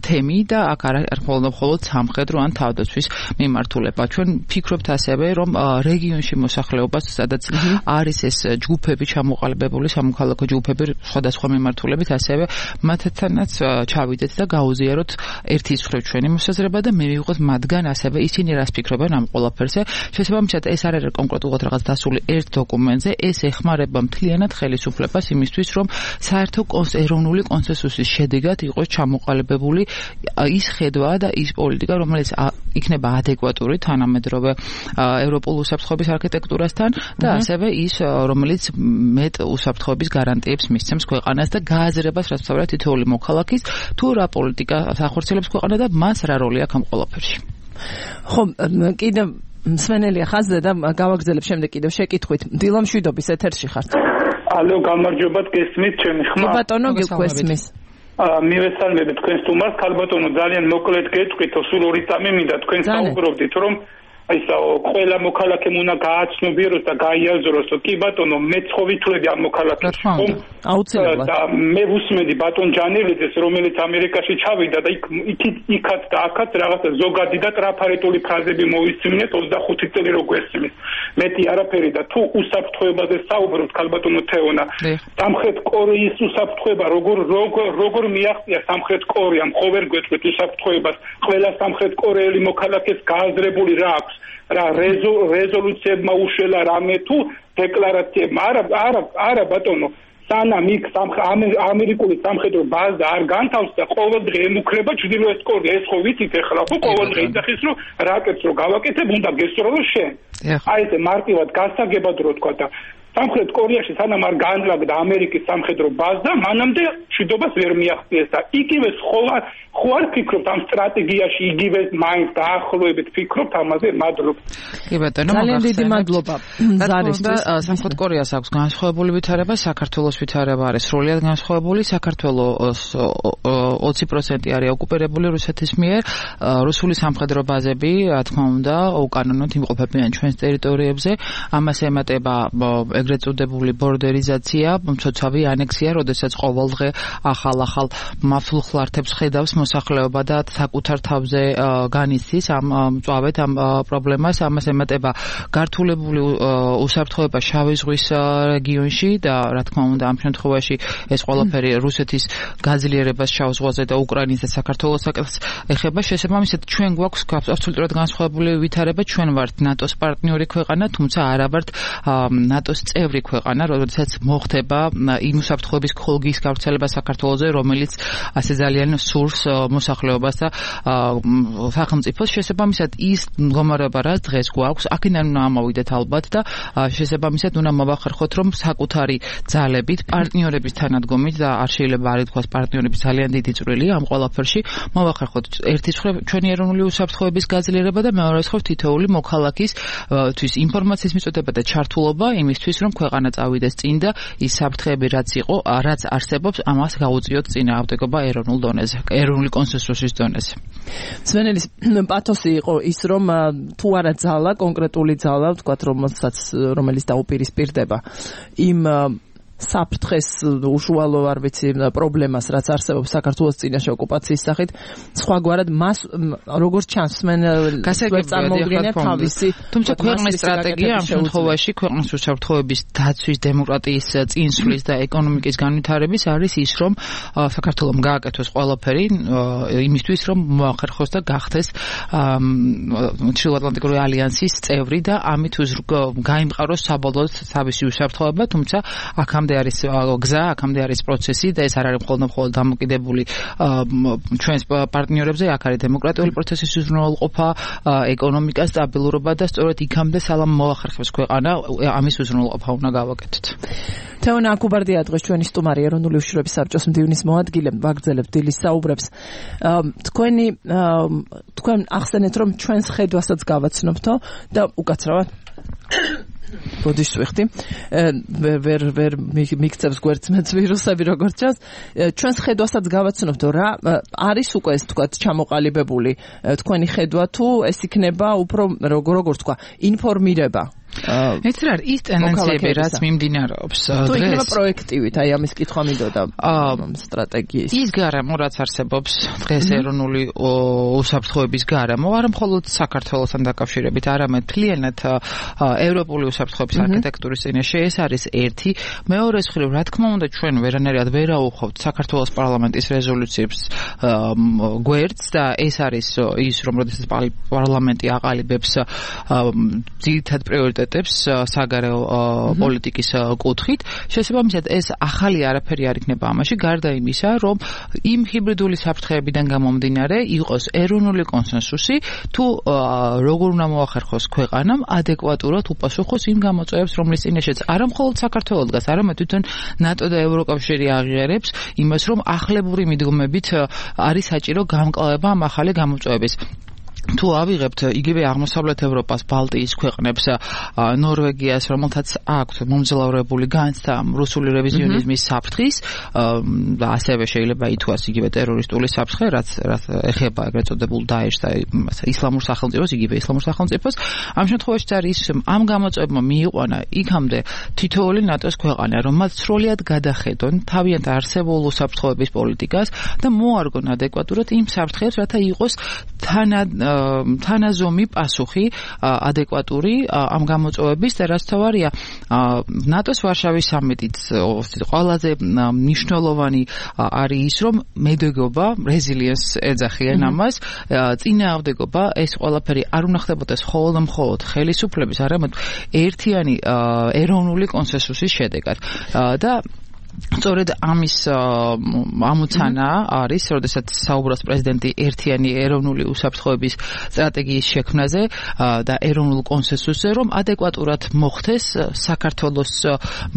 Speaker 5: თემი და აქ არ მხოლოდ სამხედრო ან თავდაცვის მიმართულება. ჩვენ ფიქრობთ ასევე, რომ რეგიონში მოსახლეობას, სადაც არის ეს ჯგუფები ჩამოყალიბებული, სამოქალაქო ჯგუფები სხვადასხვა მიმართულებით, ასევე მათთანაც ჩავიდეთ და გაუზიაროთ ერთის მხრივ ჩვენი მოსაზრება და მივიღოთ მათგან ასევე ისინი რას ფიქრობენ ამ ყველაფერზე. შესაბამისად, ეს არ არის კონკრეტულად რაღაც დასული ერთ დოკუმენტზე, ეს ეხმარება მთლიანად ხელისუფლებას იმისთვის, რომ საერთო ეროვნული კონსენსუსის შედეგად იყოს ჩამოყალიბებული ის ხედვა და ის პოლიტიკა, რომელიც იქნება ადეკვატური თანამედროვე ევროპულ უსაფრთხოების არქიტექტურასთან და ასევე ის, რომელიც მეტ უსაფრთხოების გარანტიებს მისცემს ქვეყანას და გააზრებას, რაც თავად თითოეული მოქალაქის, თუ რა პოლიტიკა ახორციელებს ქვეყანა და მას რა როლი აქვს ამ ყველაფერში.
Speaker 3: ხო, კიდევ მსმენელია ხაზზე და გავაგრძელებ შემდეგ კიდევ შეკითხვით. დილა მშვიდობის ეთერში ხართ.
Speaker 6: ალო, გამარჯობათ, გესმით ჩემი ხმა?
Speaker 3: ბატონო, გიგვესმის.
Speaker 6: მივესალმებით თქვენ სტუმარს, ქალბატონო, ძალიან მოკლედ გეტყვით, სულ 2 წამი მინდა თქვენ საუბრობდით, რომ ყველა მოქალაქემ უნდა გააცნობიეროს და გაიაზროს, კი ბატონო, მეცხოვითვლები ამ მოქალაქეებს, ხომ?
Speaker 3: აუცილებლად.
Speaker 6: და მე ვუსმენდი ბატონ ჯანელიძეს, რომელიც ამერიკაში ჩავიდა და იქაც და აქაც რაღაცა ზოგადი და ტრაფარეტული ფრაზები მოვისმინეთ 25 წელი რო გვესმის. მეტი არაფერი და თუ უსაფრთხოებაზე საუბრობთ, ქალბატონო თეონა, სამხრეთ კორეის უსაფრთხოება როგორ მიაღწია სამხრეთ კორეამ, ხო ვერ გვეტყვით უსაფრთხოებას, ყველა სამხრეთ კორეელი მოქალაქეს გააზრებული რა აქვს? რა რეზოლუციებმა უშველა რამე თუ დეკლარაციებმა? არა ბატონო, სანამ იქ ამერიკული სამხედრო ბაზა არ განთავსდა და ყოველდღე ემუქრება ჩრდილოეთ კორეა, ეს ხო ვიცით ახლა, ხო ყოველდღე იძახის რომ რაკეტს რო გავაკეთებ, უნდა გესწრო შენ. აი ეს მარტივად გასაგებად რო თქვა და სამხრეთ კორეაში სანამ არ განლაგდა ამერიკის სამხედრო ბაზა, მანამდე მშვიდობას ვერ მიაღწიეს და იგივე ხო არ ფიქრობთ ამ სტრატეგიაში, იგივე მაინც დაახლოებით ფიქრობთ ამაზე? მადლობა.
Speaker 5: კი ბატონო,
Speaker 3: ძალიან დიდი მადლობა.
Speaker 5: სამხრეთ კორეას აქვს განსხვავებული ვითარება, საქართველოს ვითარება არის სრულიად განსხვავებული. საქართველოს 20% არის ოკუპირებული რუსეთის მიერ, რუსული სამხედრო ბაზები, რა თქმა უნდა, უკანონოდ იმყოფებიან ჩვენს ტერიტორიებზე. ამას ემატება ეგრეთ წოდებული ბორდერიზაცია, მცოცავი ანექსია, როდესაც ყოველდღე ახალ მართულ ხლართებს ხედავს მოსახლეობა და საკუთარ თავზე განიცდის ამ მწვავედ ამ პრობლემას. ამას ემატება გართულებული უსაფრთხოება შავი ზღვის რეგიონში და რა თქმა უნდა ამ შემთხვევაში ეს ყველაფერი რუსეთის გაძლიერებას შავ ზღვაზე და უკრაინის და საქართველოს საკითხს ეხება. შესაბამისად ჩვენ გვაქვს აბსოლუტურად განსხვავებული ვითარება. ჩვენ ვართ ნატოს პარტნიორი ქვეყანა, თუმცა არა ვართ ნატოს წევრი ქვეყანა, როდესაც მოხდება იმ უსაფრთხოების ხოლგის გავრცელება საქართველოზე, რომელიც ასე ძალიან სურს მოსახლეობას და სახელმწიფოს. შესაბამისად ის მდგომარეობა, რაც დღეს გვაქვს, აქედან უნდა ამოვიდეთ ალბათ და შესაბამისად უნდა მოვახერხოთ, რომ საკუთარი ძალებით, პარტნიორების თანადგომით და არ შეიძლება არ ითქვას პარტნიორების ძალიან დიდი წვლილი ამ ყველაფერში, მოვახერხოთ ერთის მხრივ ჩვენი ეროვნული უსაფრთხოების გაძლიერება და მეორეს მხრივ თითოეული მოქალაქის თვის ინფორმაციის მიწოდება და ჩართულობა იმისთვის, იმისთვის, რომ ქვეყანა წავიდეს წინ და ის საფრთხეები რაც არსებობს, ამას გაუწიოთ წინააღმდეგობა ეროვნულ დონეზე, ეროვნული კონსენსუსის დონეზე.
Speaker 3: სვენელის პათოსი იყო ის, რომ თუ არა ძალა, კონკრეტული ძალა, ვთქვათ, რომელიც დაუპირისპირდება იმ საფრთხეს უშუალო არ ვიცი პრობლემას რაც არსებობს საქართველოს წინაშე ოკუპაციის სახით სხვაგვარად მას როგორც ჩანს წარმოუდგენია თავისი
Speaker 5: თუმცა ქვეყნის სტრატეგია ამ შემთხვევაში ქვეყნის უსაფრთხოების დაცვის დემოკრატიის წინსვლის და ეკონომიკის განვითარების არის ის რომ საქართველოს გააკეთოს ყველაფერი იმისთვის რომ მოახერხოს და გახდეს ჩრდილოატლანტიკური ალიანსის წევრი და ამით გაიმყაროს საბოლოოდ თავისი უსაფრთხოება თუმცა აქამდე არის გზა, აქამდე არის პროცესი და ეს არ არის მხოლოდ დამოკიდებული ჩვენს პარტნიორებზე, აქ არის დემოკრატიული პროცესის უზრუნველყოფა, ეკონომიკა, სტაბილურობა და სწორედ იქამდე სალამ მოახერხებს ქვეყანა, ამის უზრუნველყოფა უნდა გავაკეთოთ.
Speaker 3: თეონა აკუბარდია დღეს ჩვენი სტუმარი ეროვნული უშიშროების საბჭოს მდივნის მოადგილე, ვაგრძელებთ დილის საუბრებს. თქვენ ახსენეთ რომ ჩვენს ხედვასაც გავაცნობთო და უკაცრავად ბოდიშს ვიხდი ვერ მიქცევს გვერდს ვირუსები როგორც ჩანს ჩვენს ხედვასაც გავაცნობთ რა არის უკვე ეს თქვა ჩამოყალიბებული თქვენი ხედვა თუ ეს იქნება უფრო როგორც თქვა ინფორმირება
Speaker 5: ეს რა ის ტენდენციები რაც მიმდინარეობს
Speaker 3: თუ იქნება პროექტივით აი ამის კითხვა მინდოდა სტრატეგიის
Speaker 5: ის გარემო რაც არსებობს დღეს ეროვნული უსაფრთხოების გარემო არა მხოლოდ საქართველოსთან დაკავშირებით არამედ მთლიანად ევროპული უსაფრთხოების არქიტექტურის წინაშე ეს არის ერთი მეორე მხრივ რა თქმა უნდა ჩვენ ვერანაირად ვერ აუხავთ საქართველოს პარლამენტის რეზოლუციებს გვერდს და ეს არის ის რომ როდესაც პარლამენტი აყალიბებს ძირითად პრიორიტეტებს საგარეო პოლიტიკის კუთხით შესაბამისად ეს ახალი არაფერი არ იქნება ამაში გარდა იმისა რომ იმ ჰიბრიდული საფრთხეებიდან გამომდინარე იყოს ეროვნული კონსენსუსი თუ როგორ უნდა მოახერხოს ქვეყანამ ადეკვატურად უპასუხოს იმ გამოწვევებს რომლის წინაშეც არა მხოლოდ საქართველოს დგას არამედ თვითონ ნატო და ევროკავშირი აღიარებს იმას რომ ახლებური მიდგომებით არის საჭირო გამკლავება ამ ახალი გამოწვევების თუ ავიღებთ იგივე აღმოსავლეთ ევროპას, ბალტიის ქვეყნებს, ნორვეგიას, რომელთაც აქვთ მომძლავრებული განცდა რუსული რევიზიონიზმის საფრთხის და ასევე შეიძლება ითქვას იგივე ტერორისტული საფრთხე, რაც ეხება ეგრეთ წოდებულ დაეშს და ისლამურ სახელმწიფოს, იგივე ისლამურ სახელმწიფოს. ამ შემთხვევაში არის ამ გამოწვევებმა მიიყვანა იქამდე თითოეული ნატოს ქვეყანა, რომ მათ სრულად გადახედონ თავიანთ არსებულ უსაფრთხოების პოლიტიკას და მოარგონ ადეკვატურად იმ საფრთხეებს, რათა იყოს თანაზომი პასუხი ადეკვატური ამ გამოწვევების და რაც თავარია ნატოს ვარშავის სამიტის ყველაზე მნიშვნელოვანი არის ის რომ მედეგობა რეზილიენს ეძახიან ამას წინააღმდეგობა ეს ყველაფერი არ უნდა ხდებოდეს მხოლოდ ხელისუფლების არამედ ერთიანი ეროვნული კონსენსუსის შედეგად და სწორედ ამის ამოცანა არის, როდესაც საუბრობს პრეზიდენტი ერთიანი ეროვნული უსაფრთხოების სტრატეგიის შექმნაზე და ეროვნულ კონსენსუსზე, რომ ადეკვატურად მოხდეს საქართველოს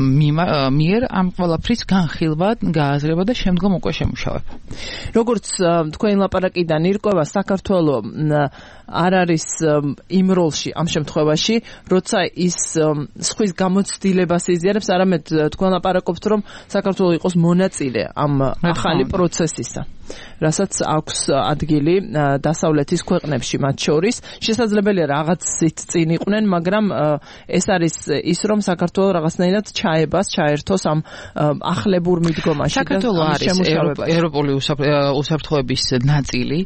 Speaker 5: მიერ ამ ყველაფრის განხილვა, გააზრება და შემდგომ უკვე შემუშავება.
Speaker 3: როგორც თქვენი ლაპარაკიდან ირკვევა, საქართველოს არ არის იმ როლში ამ შემთხვევაში, როცა ის სხვის გამოცდილებას იზიარებს, არამედ თქვენ ლაპარაკობთ, რომ საქართველოს იყოს მონაწილე ამ ახალი პროცესისა. რასაც აქვს ადგილი დასავლეთის ქვეყნებში მათ შორის შესაძლებელია რაღაცით წინ იყვნენ მაგრამ ეს არის ის რომ საქართველოს რაღაცნაირად ჩაერთოს ამ ახლებურ მიდგომაში
Speaker 5: საქართველოს არის ევროპული უსაფრთხოების ნაწილი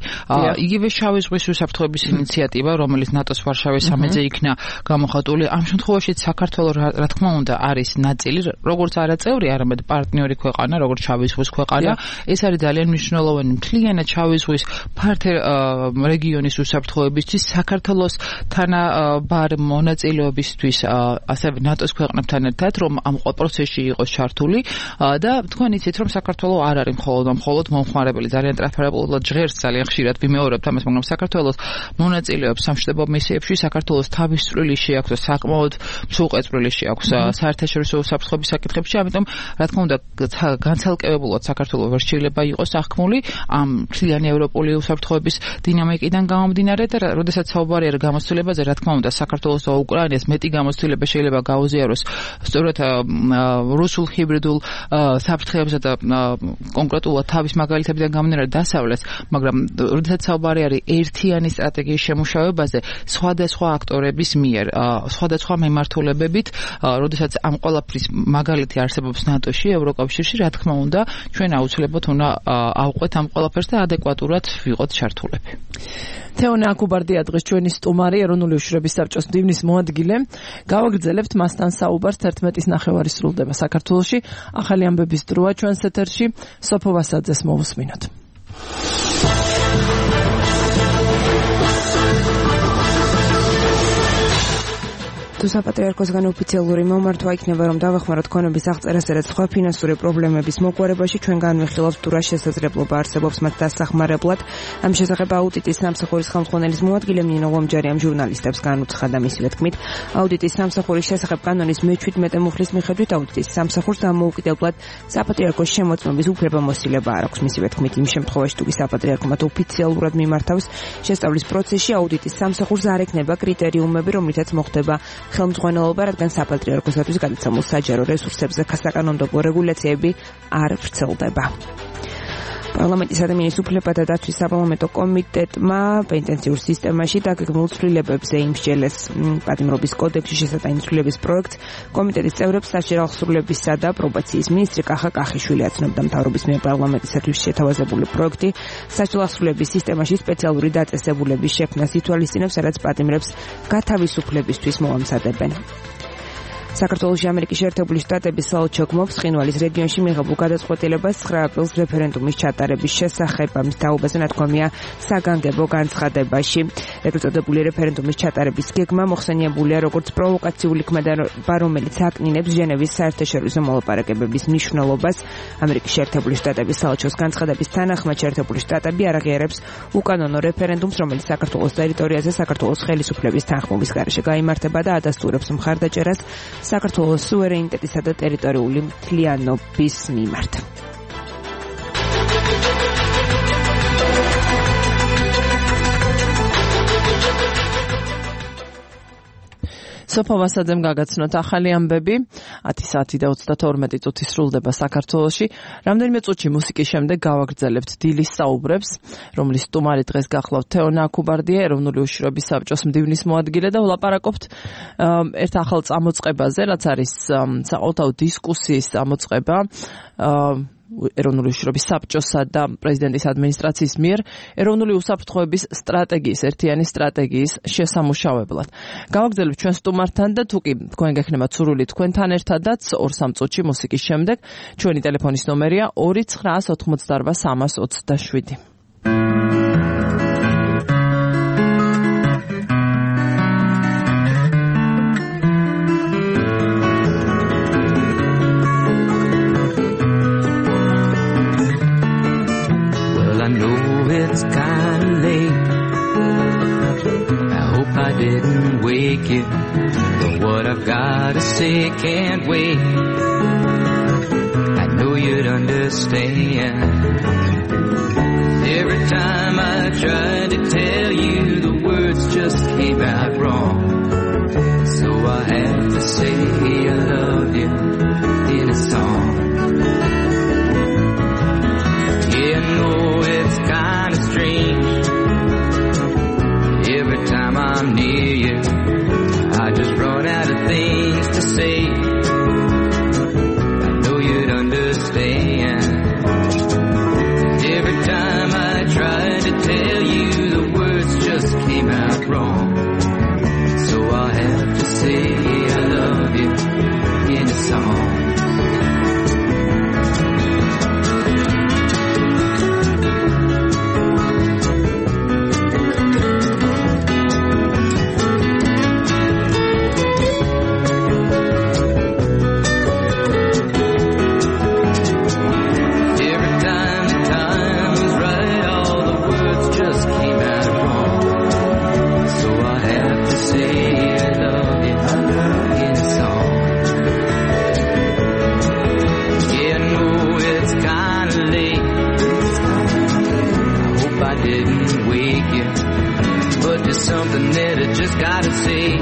Speaker 5: იგივე შავი ზღვის უსაფრთხოების ინიციატივა რომელიც ნატოს ვარშავის სამიტზე იქნა გამოხატული ამ შემთხვევაში საქართველოს რა თქმა უნდა არის ნაწილი როგორც არაწევრი არამედ პარტნიორი ქვეყანა როგორც შავი ზღვის ქვეყანა ეს არის ძალიან მნიშვნელოვანი მთლიანად შავი ზღვის ფართე რეგიონის უსაფრთხოებისთვის საქართველოს თანაბარ მონაწილეობისთვის ასევე ნატოს ქვეყნებთან ერთად რომ ამ პროცესში იყოს ჩართული და თქვენ იცით რომ საქართველოს არ არის მხოლოდ მომხმარებელი ძალიან ტრანსპარენტულად ჟღერს ძალიან ხშირად ვიმეორებთ ამას მაგრამ საქართველოს მონაწილეობს სამშვიდობო მისიებში საქართველოს თავისწრული შეაქვს საკმაოდ მსუყეწრილი შეაქვს საერთაშორისო უსაფრთხოების საკითხებში ამიტომ რა თქმა უნდა განცალკევებულად საქართველოს ვერ შეიძლება იყოს აღქმული ამ მთლიანი ევროპული უსაფრთხოების დინამიკიდან გამომდინარე და როდესაც საუბარი არის გამოცდილებაზე, რა თქმა უნდა, საქართველოს და უკრაინას მეტი გამოცდილება შეიძლება გაუზიაროს სწორედ რუსულ ჰიბრიდულ საფრთხეებზე და კონკრეტულად თავის მაგალითებიდან გამომდინარე დასავლეთს, მაგრამ როდესაც საუბარი არის ერთიანი სტრატეგიის შემუშავებაზე სხვადასხვა აქტორების მიერ, სხვადასხვა მიმართულებებით, როდესაც ამ ყველაფრის მაგალითი არსებობს ნატოში, ევროკავშირში, რა თქმა უნდა, ჩვენ აუცილებლად უნდა ავყვეთ ამ ყველაფერს და ადეკვატურად ვიყოთ ჩართულები.
Speaker 3: თეონა აკუბარდია დღეს ჩვენი სტუმარი, ეროვნული უშიშროების საბჭოს მდივნის მოადგილე. გავაგრძელებთ მასთან საუბარს 11:30 სრულდება საქართველოში. ახალი ამბების დროა ჩვენს ეთერში. სოფო ვასაძეს მოვუსმინოთ.
Speaker 2: საპატრიარქოსგან ოფიციალური მომართვა იქნება, რომ დავეხმაროთ ქონების აღწერასა და სხვა ფინანსური პრობლემების მოგვარებაში. ჩვენ განვიხილავთ თუ რა შესაძლებლობა არსებობს მათ დასახმარებლად. ამ შესახებ აუდიტის სამსახურის ხელმძღვანელის მოადგილე ნინო ლომჯარიამ ჟურნალისტებს განუცხადა მისივე თქმით, აუდიტის სამსახურის შესახებ კანონის მე-17 მუხლის მიხედვით აუდიტის სამსახურს დამოუკიდებლად საპატრიარქოს შემოწმების უფლებამოსილება არ აქვს. მისივე თქმით, იმ შემთხვევაში თუ საპატრიარქო მათ ოფიციალურად მიმართავს შესწავლის პროცესში, აუდიტის სამსახურს არ ექნება კრიტერიუმები, რომლითაც მოხდება ხელმძღვანელობა, რადგან საპატრიარქოსათვის გადაცემულ საჯარო რესურსებზე საკანონმდებლო რეგულაციები არ ვრცელდება. პარლამენტის ადამიანის უფლებათა დაცვის საპარლამენტო კომიტეტმა პენტენციურ სისტემაში დაგეგმილ ცვლილებებზე იმსჯელეს პატიმრობის კოდექსში შესატანი ცვლილების პროექტს. კომიტეტის წევრებს სასჯელ აღსრულებისა და პრობაციის მინისტრი კახა კახიშვილი აცნობდა მთავრობის მიერ პარლამენტისათვის შეთავაზებული პროექტი სასჯელ აღსრულების სისტემაში სპეციალური დაწესებულების შექმნას ითვალისწინებს, სადაც პატიმრებს გათავისუფლებისთვის მოამზადებენ. საქართველოში ამერიკის შეერთებული შტატების საელჩო გმობს ცხინვალის რეგიონში მიღებულ გადაწყვეტილებას 9 აპრილს რეფერენდუმის ჩატარების შესახებ. ამის თაობაზე ნათქვამია საგანგებო განცხადებაში. ეგრეთ წოდებული რეფერენდუმის ჩატარების გეგმა მოხსენიებულია როგორც პროვოკაციული ქმედება, რომელიც აკნინებს ჟენევის საერთაშორისო მოლაპარაკებების მნიშვნელობას. ამერიკის შეერთებული შტატების საელჩოს განცხადების თანახმად შეერთებული შტატები არ აღიარებს უკანონო რეფერენდუმს, რომელიც საქართველოს ტერიტორიაზე საქართველოს ხელისუფლების თანხმობის გარეშე გაიმართება და ადასტურებს მხარდაჭერას საქართველოს სუვერენიტეტისა და ტერიტორიული მთლიანობის მიმართ.
Speaker 3: სოფო ვასაძემ გაგაცნოთ ახალი ამბები. 10 საათი და 32 წუთი სრულდება საქართველოში. რამდენიმე წუთში მუსიკის შემდეგ გავაგრძელებთ დილის საუბრებს, რომლის სტუმარი დღეს გახლავთ თეონა აკუბარდია, ეროვნული უშიშროების საბჭოს მდივნის მოადგილე და ვლაპარაკობთ ერთ ახალ წამოწყებაზე, რაც არის საყოველთაო დისკუსიის წამოწყება ეროვნული უშიშროების საბჭოსა და პრეზიდენტის ადმინისტრაციის მიერ ეროვნული უსაფრთხოების სტრატეგიის, ერთიანი სტრატეგიის შესამუშავებლად. გავაგრძელებთ ჩვენ სტუმართან და თუ კი თქვენ გექნებათ სურვილი თქვენთან ერთადაც 2-3 წუთში მუსიკის შემდეგ ჩვენი ტელეფონის ნომერია 2988 327.
Speaker 7: It's kinda late. I hope I didn't wake you, but what I've gotta say can't wait. I know you'd understand. Every time I tried to tell you, the words just came out wrong. So I have to say I love you in a song. Yeah, I know it's kinda strange. Every time I'm near you, I just run out of things to say. just gotta say,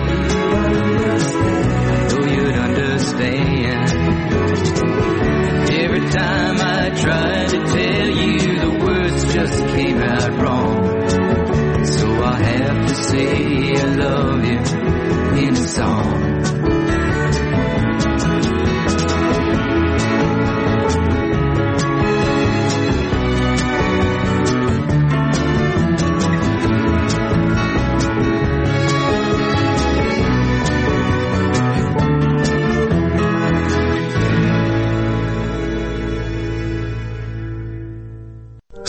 Speaker 7: oh, you'd understand. Every time I try to tell you, the words just came out wrong. So I have to say I love you in a song.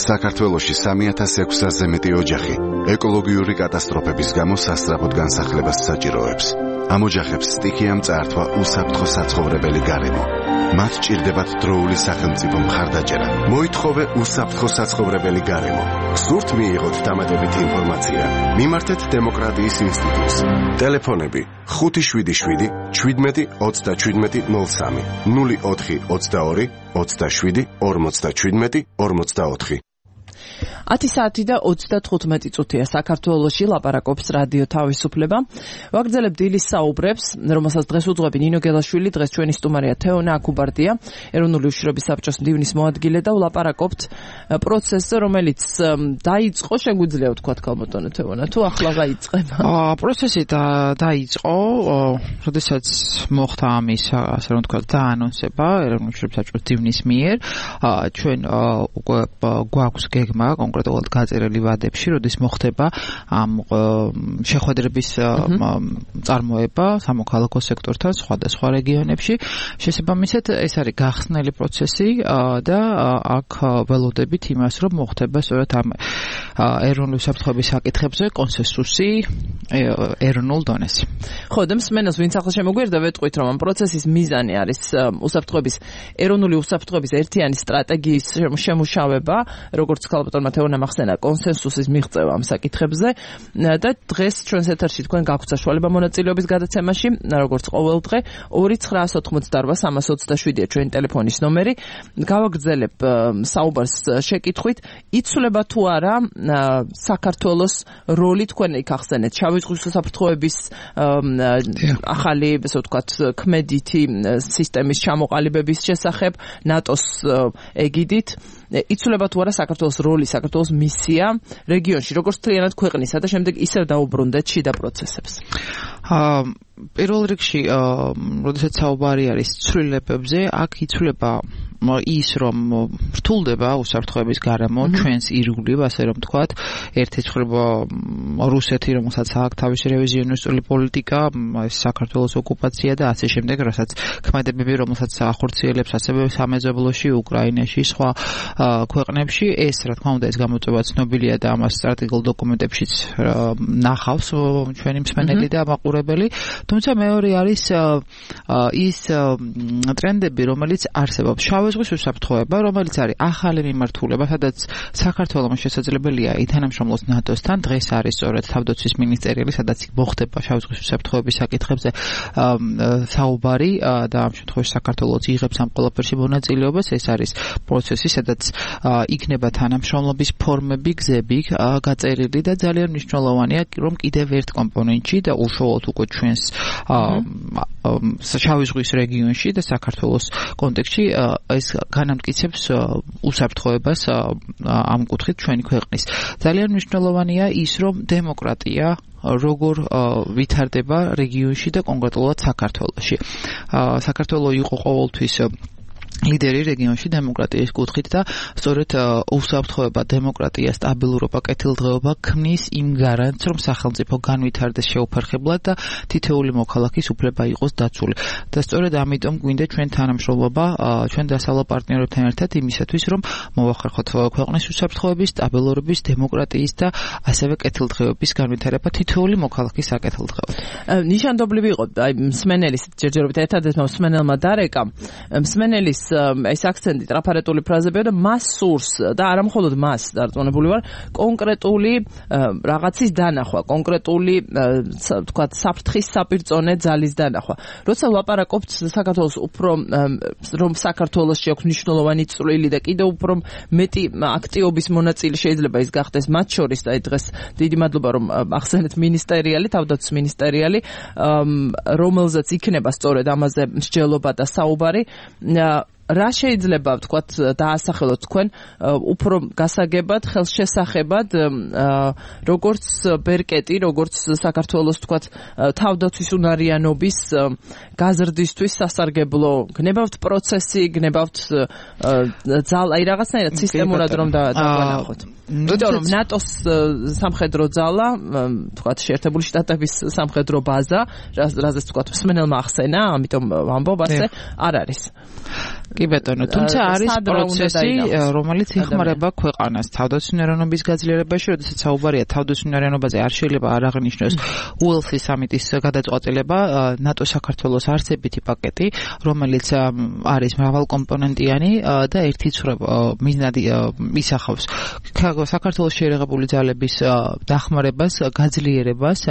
Speaker 8: საქართველოში 3600-ზე მეტი ოჯახი ეკოლოგიური კატასტროფების გამო სასწრაფოდ განსახლებას საჭიროებს. ამ ოჯახებს სტიქიამ წაართვა უსაფრთხო საცხოვრებელი გარემო. მათ ჭირდებათ დროული სახელმწიფო მხარდაჭერა. მოითხოვე უსაფრთხო საცხოვრებელი გარემო. სურთ მიიღოთ დამატებითი ინფორმაცია. მიმართეთ დემოკრატიის ინსტიტუტს. ტელეფონები 577 17 37 03 04 22 27 57 44.
Speaker 3: 10 საათი და 35 წუთია საქართველოში ლაპარაკობს რადიო თავისუფლება. ვაგრძელებთ დილის საუბრებს, რომელსაც დღეს უძღვები ნინო გელაშვილი, დღეს ჩვენი სტუმარია თეონა აქუბარდია, ეროვნული უშიშროების საბჭოს მდივნის მოადგილე და ვლაპარაკობთ პროცესზე, რომელიც დაიწყო, შეგვიძლია ვთქვათ ქალბატონო თეონა, თუ ახლა გაიწყება?
Speaker 5: პროცესი დაიწყო, როდესაც მოხდა ამის, ასე რომ ვთქვათ, დაანონსება ეროვნული უშიშროების საბჭოს მდივნის მიერ, ჩვენ უკვე გვაქვს გეგმა კონკრეტულად გაწერილი ვადებში, როდის მოხდება ამ შეხვედრების წარმოება სამოქალაქო სექტორთან სხვადასხვა რეგიონებში. შესაბამისად, ეს არის გახსნელი პროცესი და აქ ველოდებით იმას, რომ მოხდება სწორედ ამ ეროვნული უსაფრთხოების საკითხებზე კონსენსუსი ეროვნულ დონეზე.
Speaker 3: ხო, და მსმენელს ვინც ახლა შემოგვიერთდა, ვეტყვით, რომ ამ პროცესის მიზანი არის ეროვნული უსაფრთხოების ერთიანი სტრატეგიის შემუშავება, როგორც ქალბატონმა თეონა მახსენა კონსენსუსის მიღწევა ამ საკითხებზე და დღეს ჩვენს ეთერში თქვენ გაქვთ საშუალება მონაწილეობის გადაცემაში, როგორც ყოველდღე 2-988-327-ია ჩვენი ტელეფონის ნომერი. გავაგრძელებ საუბარს შეკითხვით, იცვლება თუ არა საქართველოს როლი, თქვენ იქ ახსენეთ შავი ზღვის უსაფრთხოების ახალი, ესე ვთქვათ, ქმედითი სისტემის ჩამოყალიბების შესახებ ნატოს ეგიდით. იცვლება თუ არა საქართველოს როლი, საქართველოს მისია რეგიონში, როგორც მთლიანად ქვეყნისა და შემდეგ ისევ დაუბრუნდეთ შიდა პროცესებს.
Speaker 5: პირველ რიგში, როდესაც საუბარი არის ცვლილებებზე, აქ იცვლება ის, რომ რთულდება უსაფრთხოების გარემო ჩვენს ირგვლივ, ასე რომ ვთქვათ, ერთი ცხრება რუსეთი, რომელსაც აქვს თავისი რევიზიონისტული პოლიტიკა, საქართველოს ოკუპაცია და ასე შემდეგ, რასაც ქმედებები, რომელსაც ახორციელებს ასევე სამეზობლოში, უკრაინაში, სხვა ქვეყნებში, ეს რა თქმა უნდა ეს გამოწვევა ცნობილია და ამას სტრატეგიულ დოკუმენტებშიც ნახავს ჩვენი მსმენელი და მაყურებელი. თუმცა მეორე არის ის ტრენდები, რომელიც არსებობს. შავი ზღვის უსაფრთხოება, რომელიც არის ახალი მიმართულება, სადაც საქართველოს შესაძლებელია ითანამშრომლოს ნატოსთან. დღეს არის სწორედ თავდაცვის მინისტერიალი, სადაც მოხდება შავი ზღვის უსაფრთხოების საკითხებზე საუბარი და ამ შემთხვევაში საქართველოს იღებს ამ ყველაფერში მონაწილეობას. ეს არის პროცესი, სადაც იქნება თანამშრომლობის ფორმები, გზები გაწერილი და ძალიან მნიშვნელოვანია, რომ კიდევ ერთ კომპონენტში და უშუალოდ უკვე ჩვენს შავი ზღვის რეგიონში და საქართველოს კონტექსტში ეს განამტკიცებს უსაფრთხოებას ამ კუთხით ჩვენი ქვეყნის. ძალიან მნიშვნელოვანია ის, რომ დემოკრატია როგორ ვითარდება რეგიონში და კონკრეტულად საქართველოში. საქართველო იყო ყოველთვის ლიდერი რეგიონში დემოკრატიის კუთხით და სწორედ უსაფრთხოება, დემოკრატია, სტაბილურობა, კეთილდღეობა ქმნის იმ გარანტს, რომ სახელმწიფო განვითარდეს შეუფერხებლად და თითოეული მოქალაქის უფლება იყოს დაცული. და სწორედ ამიტომ გვინდა ჩვენ თანამშრომლობა ჩვენ დასავლელ პარტნიორებთან ერთად იმისათვის, რომ მოვახერხოთ ქვეყნის უსაფრთხოების, სტაბილურობის, დემოკრატიის და ასევე კეთილდღეობის განვითარება თითოეული მოქალაქის საკეთილდღეოდ.
Speaker 3: ნიშანდობლივი იყო, მსმენელის ჯერჯერობით ერთადერთმა მსმენელმა დარეკა, მსმენელის ეს აქცენტი ტრაფარეტული ფრაზებია და მას სურს და არა მხოლოდ მას დარწმუნებული ვარ კონკრეტული რაღაცის დანახვა, კონკრეტული თქვა საფრთხის საპირწონე ძალის დანახვა. როცა ლაპარაკობთ საქართველოს უფრო რომ საქართველოსში აქვს მნიშვნელოვანი წვლილი და კიდევ უფრო მეტი აქტიობის მონაწილე შეიძლება ის გახდეს მათ შორის და დღეს დიდი მადლობა რომ ახსენეთ მინისტერიალი, თავდაცვის მინისტერიალი, რომელზეც იქნება სწორედ ამაზე მსჯელობა და საუბარი. რა შეიძლება ვთქვათ დაასახელოთ თქვენ უფრო გასაგებად, ხელშესახებად, როგორც ბერკეტი, როგორც საქართველოს ვთქვათ თავდაცვის უნარიანობის გაზრდისთვის სასარგებლო გნებავთ პროცესი, გნებავთ აი რაღაცნაირად სისტემურად რომ დავანახოთ. იმიტომ რომ ნატოს სამხედრო ძალა, ვთქვათ შეერთებული შტატების სამხედრო ბაზა, რაზეც ვთქვათ მსმენელმა ახსენა, ამიტომ ვამბობ ასე, არ არის.
Speaker 5: კი ბატონო, თუმცა არის პროცესი, რომელიც იხმარება ქვეყანას თავდაცვის უნარიანობის გაძლიერებაში, როდესაც საუბარია თავდაცვის უნარიანობაზე, არ შეიძლება არ აღნიშნოს უელსის სამიტის გადაწყვეტილება, ნატო საქართველოს არსებითი პაკეტი, რომელიც არის მრავალკომპონენტიანი და ერთი მიზნად ისახავს საქართველოს შეერაღებული ძალების დახმარებას, გაძლიერებას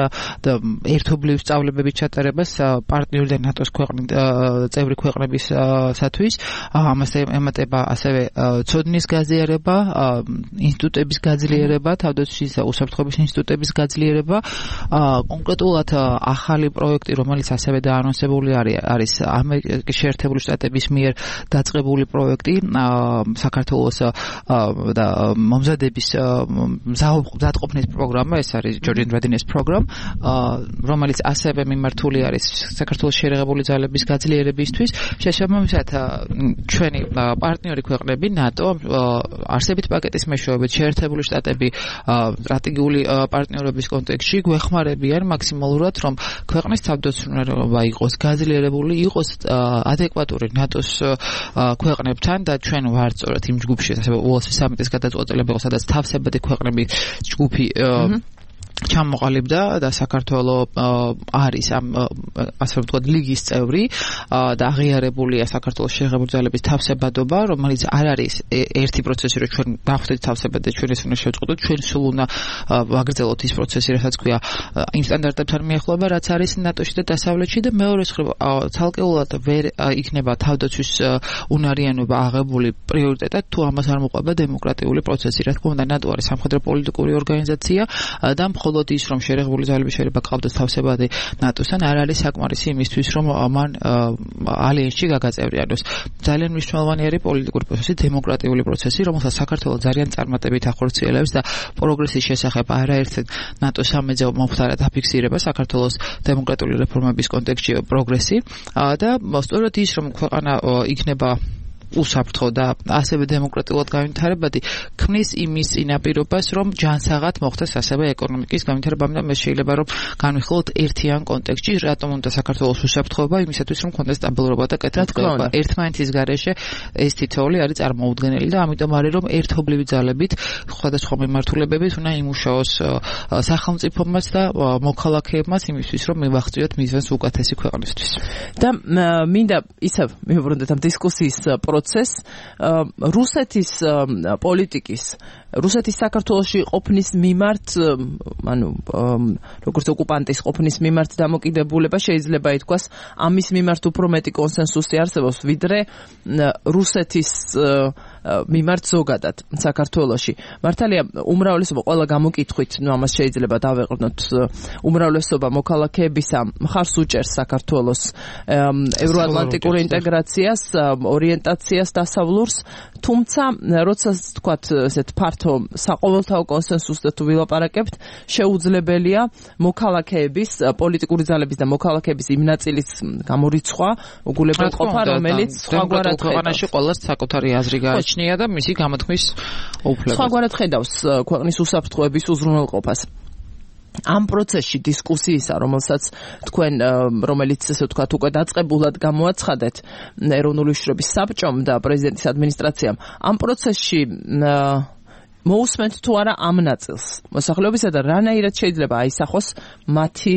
Speaker 5: და ერთობლივ სწავლებების ჩატარებას პარტნიორი და ნატოს წევრი ქვეყნებისათვის. ამასთან ემატება ასევე ცოდნის გაზიარება, ინსტიტუტების გაძლიერება, თავდაცვის უსაფრთხოების ინსტიტუტების გაძლიერება, კონკრეტულად ახალი პროექტი, რომელიც ასევე დაანონსებული არის ამერიკის შეერთებული შტატების მიერ დაწყებული პროექტი, საქართველოს და მომზადების მზადყოფნის პროგრამა, ეს არის Georgian Readiness Program, რომელიც ასევე მიმართული არის საქართველოს შეერაღებული ძალების გაძლიერებისთვის. შესაბამისად ჩვენი პარტნიორი ქვეყნები ნატო არსებით პაკეტის მეშვეობით შეერთებული შტატები სტრატეგიული პარტნიორობის კონტექსტში გვეხმარებიან მაქსიმალურად რომ ქვეყნის თავდაცვის უნარიანობა იყოს გაძლიერებული, იყოს ადეკვატური ნატოს ქვეყნებთან და ჩვენ ვართ სწორედ იმ ჯგუფში, ასევე უელსის სამიტის გადაწყვეტილება, სადაც თავსებადი ქვეყნების ჯგუფი ჩამოყალიბდა და საქართველოს არის ამ ასე ვთქვათ ლიგის წევრი და აღიარებულია საქართველოს შეერაღებული ძალების თავსებადობა, რომელიც არ არის ერთი პროცესი, რომ ჩვენ დავხვდეთ თავსებად და ჩვენ ეს უნდა შევწყვეტოთ, ჩვენ სულ უნდა ვაგრძელოთ ის პროცესი, რასაც ქვია იმ სტანდარტებთან მიახლოება, რაც არის ნატოში და დასავლეთში და მეორე მხრივ ცალკეულად ვერ იქნება თავდაცვის უნარიანობა აღებული პრიორიტეტად, თუ ამას არ მოყვება დემოკრატიული პროცესი. რა თქმა უნდა, ნატო არის სამხედრო პოლიტიკური ორგანიზაცია და მხოლოდ ის რომ შეერაღებული ძალები შეიძლება გყავდეს თავსებადი ნატოსთან არ არის საკმარისი იმისთვის რომ მან ალიანსში გაგაწევრიანოს. ძალიან მნიშვნელოვანი არის პოლიტიკური პროცესი, დემოკრატიული პროცესი, რომელსაც საქართველოს ძალიან წარმატებით ახორციელებს და პროგრესის შესახებ არაერთ ნატოს სამედზე მომხდარა დაფიქსირება საქართველოს დემოკრატიული რეფორმების კონტექსტში პროგრესი და სწორედ ის რომ ქვეყანა იქნება უსაფრთხო და ასევე დემოკრატიულად განვითარებადი ქმნის იმის წინაპირობას, რომ ჯანსაღად მოხდეს ასევე ეკონომიკის განვითარება, ამიტომ ეს შეიძლება რომ განვიხილოთ ერთიან კონტექსტში, რატომ უნდა საქართველოს უსაფრთხოება, იმისათვის რომ კონდეს სტაბილურობა და კეთილდღეობა. ერთმანეთის გარეშე ეს თითოეული არის წარმოუდგენელი და ამიტომ არის რომ ერთობლივი ძალებით სხვადასხვა მიმართულებებით უნდა იმუშაოს სახელმწიფომაც და მოქალაქეებმაც იმისთვის რომ მივახციოთ მიზანს უკეთესი ქვეყნისთვის. და მინდა ისევ მივუბრუნდეთ ამ დისკუსიის რუსეთის პოლიტიკის, რუსეთის საქართველოში ყოფნის მიმართ, ანუ როგორც ოკუპანტის ყოფნის მიმართ დამოკიდებულება შეიძლება ითქვას, ამის მიმართ უფრო მეტი კონსენსუსი არსებობს, ვიდრე რუსეთის მიმართ ზოგადად საქართველოში. მართალია, უმრავლესობა ყველა გამოკითხვით, ამას შეიძლება დავეყრდნოთ, უმრავლესობა მოქალაქეებისა მხარს უჭერს საქართველოს ევროატლანტიკურ ინტეგრაციას, ორიენტაციას დასავლურს, თუმცა როცა თქვათ ესეთ ფართო საყოველთაო კონსენსუსს და თუ ვილაპარაკებთ, შეუძლებელია მოქალაქეების, პოლიტიკური ძალების და მოქალაქეების იმ ნაწილის გამორიცხვა, უგულებელყოფა, რომელიც სხვაგვარად ქვეყანაში ყველას საკუთარი აზრი გააჩნია და მისი გამოთქმის უფლება. სხვაგვარად ხედავს ქვეყნის უსაფრთხოების უზრუნველყოფას. ამ პროცესში დისკუსიისა, რომელიც ესე ვთქვათ უკვე დაწყებულად გამოაცხადეთ ეროვნული უშიშროების საბჭომ და პრეზიდენტის ადმინისტრაციამ, ამ პროცესში მოусმენთ თუ არა ამ ნაწილს მოსახლეობისა და რანაირად შეიძლება აისახოს მათი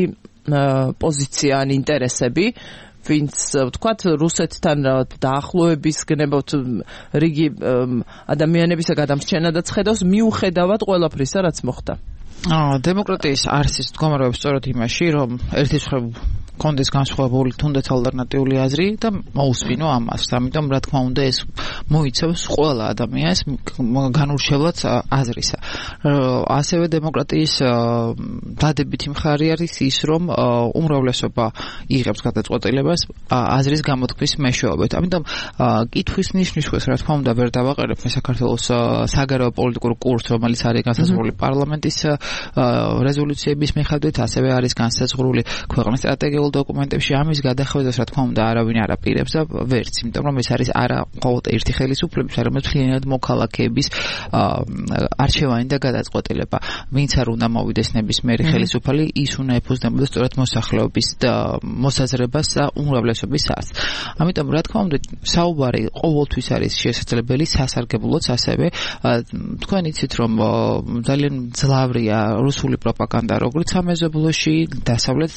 Speaker 5: პოზიცია ან ინტერესები,
Speaker 3: ვინც ვთქვათ რუსეთთან დაახლოების გნებავთ რიგი ადამიანებისა გადამრჩენადაც ხედავს მიუხედავად ყველაფრისა რაც მოხდა.
Speaker 5: დემოკრატიის არსის მდგომარეობის სწორედ იმაში, რომ ერთი მხრივ კონდეს განსხვავებული თუნდაც ალტერნატიული აზრი და მოусვინო ამას. ამიტომ რა თქმა უნდა ეს მოიცავს ყველა ადამიანს განურჩევლად აზრისა. ასევე დემოკრატიის დადებითი მხარე არის ის, რომ უმრავლესობა იღებს გადაწყვეტილებას აზრის გამოთქმის მეშვეობით. ამიტომ კითხვის ნიშნისას რა თქმა უნდა ვერ დავაყენებ საქართველოს საგარეო პოლიტიკურ კურსს, რომელიც არის განსაზღვრული პარლამენტის რეზოლუციების მიხედვით, ასევე არის განსაზღვრული ქვეყნის სტრატეგიულ დოკუმენტებში. ამის გადახვედას რა თქმა უნდა არავინ არ აპირებს და ვერც, იმიტომ რომ ეს არის არა მხოლოდ ერთი ხელისუფლების, არამედ მთლიანად მოქალაქეების არჩევანი და გადაწყვეტილება. ვინც არ უნდა მოვიდეს ნებისმიერი ხელისუფალი, ის უნდა ეფუძნებოდეს სწორედ მოსახლეობის და მოსაზრებას და უმრავლესობის აზრს. ამიტომ რა თქმა უნდა საუბარი ყოველთვის არის შესაძლებელი, სასარგებლოც ასევე. თქვენ იცით რომ ძალიან ძლავრია რუსული პროპაგანდა როგორც სამეზობლოში, დასავლეთ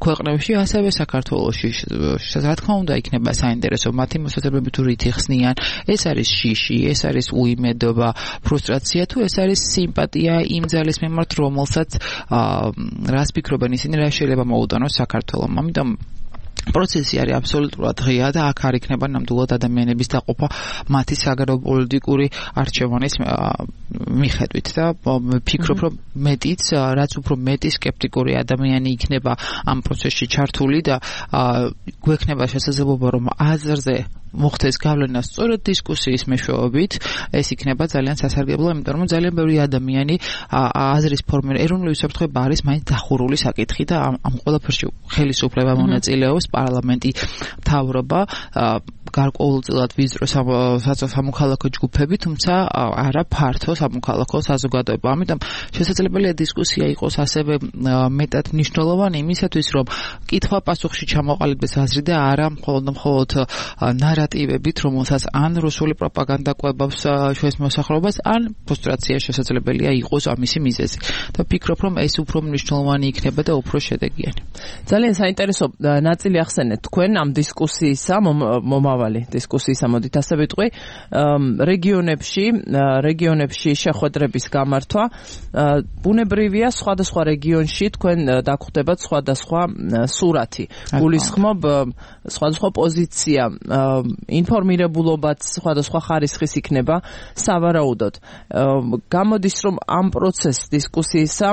Speaker 5: ქვეყნებში, ასევე საქართველოში. რა თქმა უნდა იქნება საინტერესო მათი მოსაზრებები თუ რით იხსნიან. ეს არის შიში, ეს არის უიმედობა, ფრუსტრაცია თუ ეს არის სიმპათია იმ ძალის მიმართ, რომელსაც რას ფიქრობენ ისინი, რა შეიძლება მოუტანოს საქართველოს. ამიტომ პროცესი არის აბსოლუტურად ღია და აქ არ იქნება ნამდვილად ადამიანების დაყოფა მათი საგარეო პოლიტიკური არჩევანის მიხედვით და ვფიქრობ რომ მეტიც რაც უფრო მეტი სკეპტიკური ადამიანი იქნება ამ პროცესში ჩართული და გვექნება შესაძლებლობა რომ აზრზე მოხდეს გავლენა სწორედ დისკუსიის მეშვეობით, ეს იქნება ძალიან სასარგებლო, იმიტომ რომ ძალიან ბევრი ადამიანი აზრის ფორმირება ეროვნული უსაფრთხოება არის მაინც დახურული საკითხი და ამ ყველაფერში ხელისუფლება მონაწილეობს, პარლამენტი, მთავრობა, გარკვეულწილად ვიზრო სამოქალაქო ჯგუფები, თუმცა არა ფართო სამოქალაქო საზოგადოება. ამიტომ შესაძლებელია დისკუსია იყოს ასევე მეტად მნიშვნელოვანი იმისათვის, რომ კითხვა-პასუხში ჩამოყალიბდეს აზრი და არა მხოლოდ ნარატივებით, რომელსაც ან რუსული პროპაგანდა კვებავს ჩვენს მოსახლეობას, ან ფრუსტრაცია შესაძლებელია იყოს ამისი მიზეზი. და ვფიქრობ, რომ ეს უფრო მნიშვნელოვანი იქნება და უფრო შედეგიანი.
Speaker 3: ძალიან საინტერესო ნაწილი ახსენეთ თქვენ ამ დისკუსიისა, მომავალი დისკუსიისა, მოდით ასე ვიტყვი, რეგიონებში შეხვედრების გამართვა. ბუნებრივია სხვადასხვა რეგიონში თქვენ დაგხვდებათ სხვადასხვა სურათი. გულისხმობ სხვადასხვა პოზიცია, ინფორმირებულობაც სხვადასხვა ხარისხის იქნება სავარაუდოდ. გამოდის რომ ამ პროცესს დისკუსიისა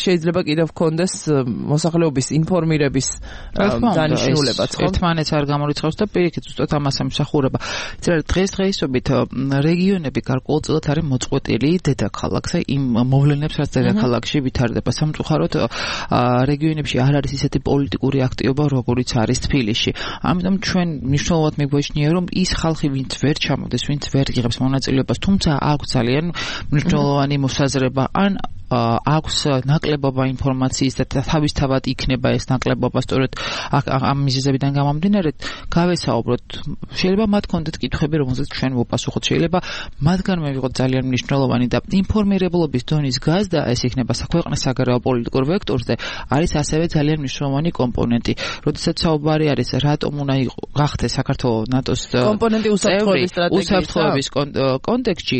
Speaker 3: შეიძლება კიდევ გქონდეს მოსახლეობის ინფორმირების დანიშნულებაც, ხო?
Speaker 5: ერთმანეთს არ გამორიცხავს და პირიქით ზუსტად ამას ემსახურება. დღესდღეობით რეგიონები გარკვეულწილად არის მოწყვეტილი დედაქალაქზე იმ მოვლენებს, რაც დედაქალაქში ვითარდება. სამწუხაროდ რეგიონებში არ არის ისეთი პოლიტიკური აქტივობა, როგორიც არის თბილისში. ამიტომ ჩვენ მნიშვნელოვნად მიგვაჩნია, რომ ის ხალხი, ვინც ვერ ჩამოდეს, ვინც ვერ იღებს მონაწილეობას, თუმცა აქვს ძალიან მნიშვნელოვანი მოსაზრება, ან აქვს ნაკლებობა ინფორმაციის და თავისთავად იქნება ეს ნაკლებობა სწორედ ამ მიზეზებიდან გამომდინარე, გავესაუბროთ. შეიძლება მათ კონდეთ კითხვები, რომელსაც ჩვენ ვუპასუხოთ. შეიძლება მათგან მივიღოთ ძალიან მნიშვნელოვანი და ინფორმირებულობის დონის გაზრდა, ეს იქნება ქვეყნის საგარეო პოლიტიკურ ვექტორზე, არის ასევე ძალიან მნიშვნელოვანი კომპონენტი. როდესაც საუბარი არის, რატომ უნდა გახდეს საქართველოს ნატოს
Speaker 3: კომპონენტი
Speaker 5: უსაფრთხოების კონტექსტში,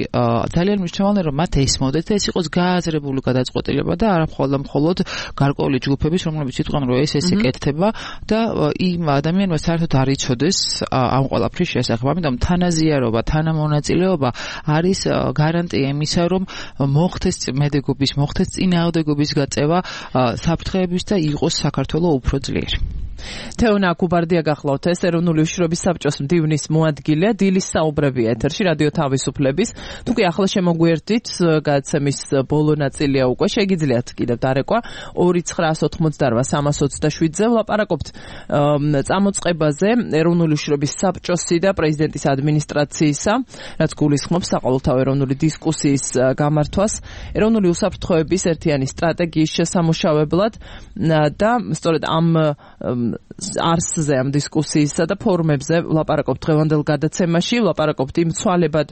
Speaker 5: ძალიან მნიშვნელოვანია, რომ მათ ესმოდეთ და ეს იყოს გააზრებული გადაწყვეტილება და არა მხოლოდ გარკვეული ჯგუფების, რომლებიც იტყვიან, რომ ეს ეკეთება და იმ ადამიანმა საერთოდ არ იცოდეს ამ ყველაფრის შესახებ. ამიტომ თანაზიარობა, თანამონაწილეობა არის გარანტია იმისა, რომ მოხდეს მედეგობის, მოხდეს წინააღმდეგობის გაწევა საფრთხეების და იყოს საქართველოს უფრო ძლიერი.
Speaker 3: თეონა კუბარდია გახლავთ, ეს ეროვნული უშიშროების საბჭოს მდივნის მოადგილე, დილის საუბრებია ეთერში რადიო თავისუფლების. თუ კი ახლა შემოგვიერთდით, გადაცემის ბოლო ნაწილია უკვე, შეგიძლიათ კიდევ დარეკვა 2-988-327-ზე ვლაპარაკობთ წამოწყებაზე ეროვნული უშიშროების საბჭოსი და პრეზიდენტის ადმინისტრაციისა, რაც გულისხმობს საყოველთაო ეროვნული დისკუსიის გამართვას ეროვნული უსაფრთხოების ერთიანი სტრატეგიის შესამუშავებლად და სწორედ ამ არსზე ამ დისკუსიისა და ფორუმებზე ვლაპარაკობთ დღევანდელ გადაცემაში, ვლაპარაკობთ იმ ცვალებად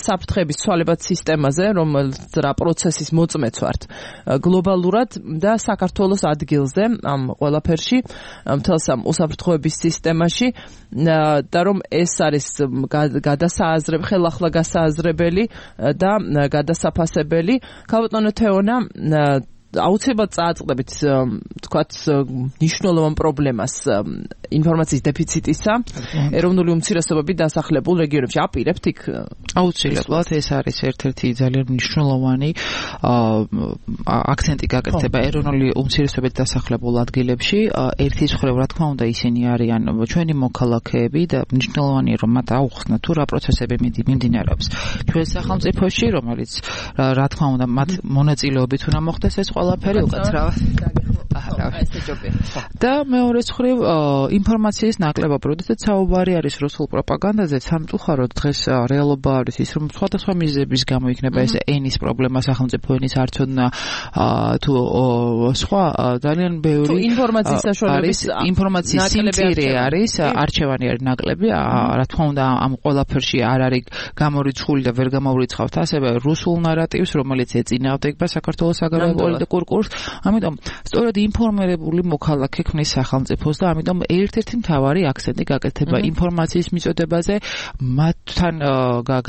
Speaker 3: საფრთხების ცვალებად სისტემაზე, რომელიც რა პროცესის მოწმეც ვართ გლობალურად და საქართველოს ადგილზე ამ ყველაფერში, მთელს ამ უსაფრთხოების სისტემაში და რომ ეს არის ხელახლა გასააზრებელი და გადასაფასებელი. ქალბატონო თეონა, აუცილებლად წააწყდებით თქვათ მნიშვნელოვან პრობლემას ინფორმაციის დეფიციტისა ეროვნული უმცირესობები დასახლებულ რეგიონებში. აპირებთ იქ?
Speaker 5: აუცილებლად ეს არის ერთ-ერთი ძალიან მნიშვნელოვანი აქცენტი გაკეთება ეროვნული უმცირესობებით დასახლებულ ადგილებში. ერთის მხრივ რა თქმა უნდა ისინი არიან ჩვენი მოქალაქეები და მნიშვნელოვანია რომ მათ აუხსნათ თუ რა პროცესები მიმდინარეობს ჩვენ სახელმწიფოში, რომელიც რა თქმა უნდა მათ მონაწილეობით უნდა მოხდეს ეს ყველაფერი უკაცრავად. და მეორე მხრივ ინფორმაციის ნაკლებობა, როდესაც საუბარი არის რუსულ პროპაგანდაზე, სამწუხაროდ დღეს რეალობა არის ის, რომ სხვადასხვა მიზეზების გამო იქნება ეს ენის პრობლემა, სახელმწიფო ენის არცოდნა თუ სხვა ძალიან ბევრი
Speaker 3: ინფორმაციის საშუალების
Speaker 5: ინფორმაციის სიმწირე არის, არჩევანი არის ნაკლები, რა თქმა უნდა ამ ყველაფერში არ არის გამორიცხული და ვერ გამოვრიცხავთ ასევე რუსულ ნარატივს, რომელიც ეწინააღმდეგება საქართველოს საგარეო პოლიტიკურ კურსს. ამიტომ სწორედ ინფორმირებული მოქალაქე ქმნის სახელმწიფოს და ამიტომ ერთ-ერთი მთავარი აქცენტი გაკეთება ინფორმაციის მიწოდებაზე, მათთან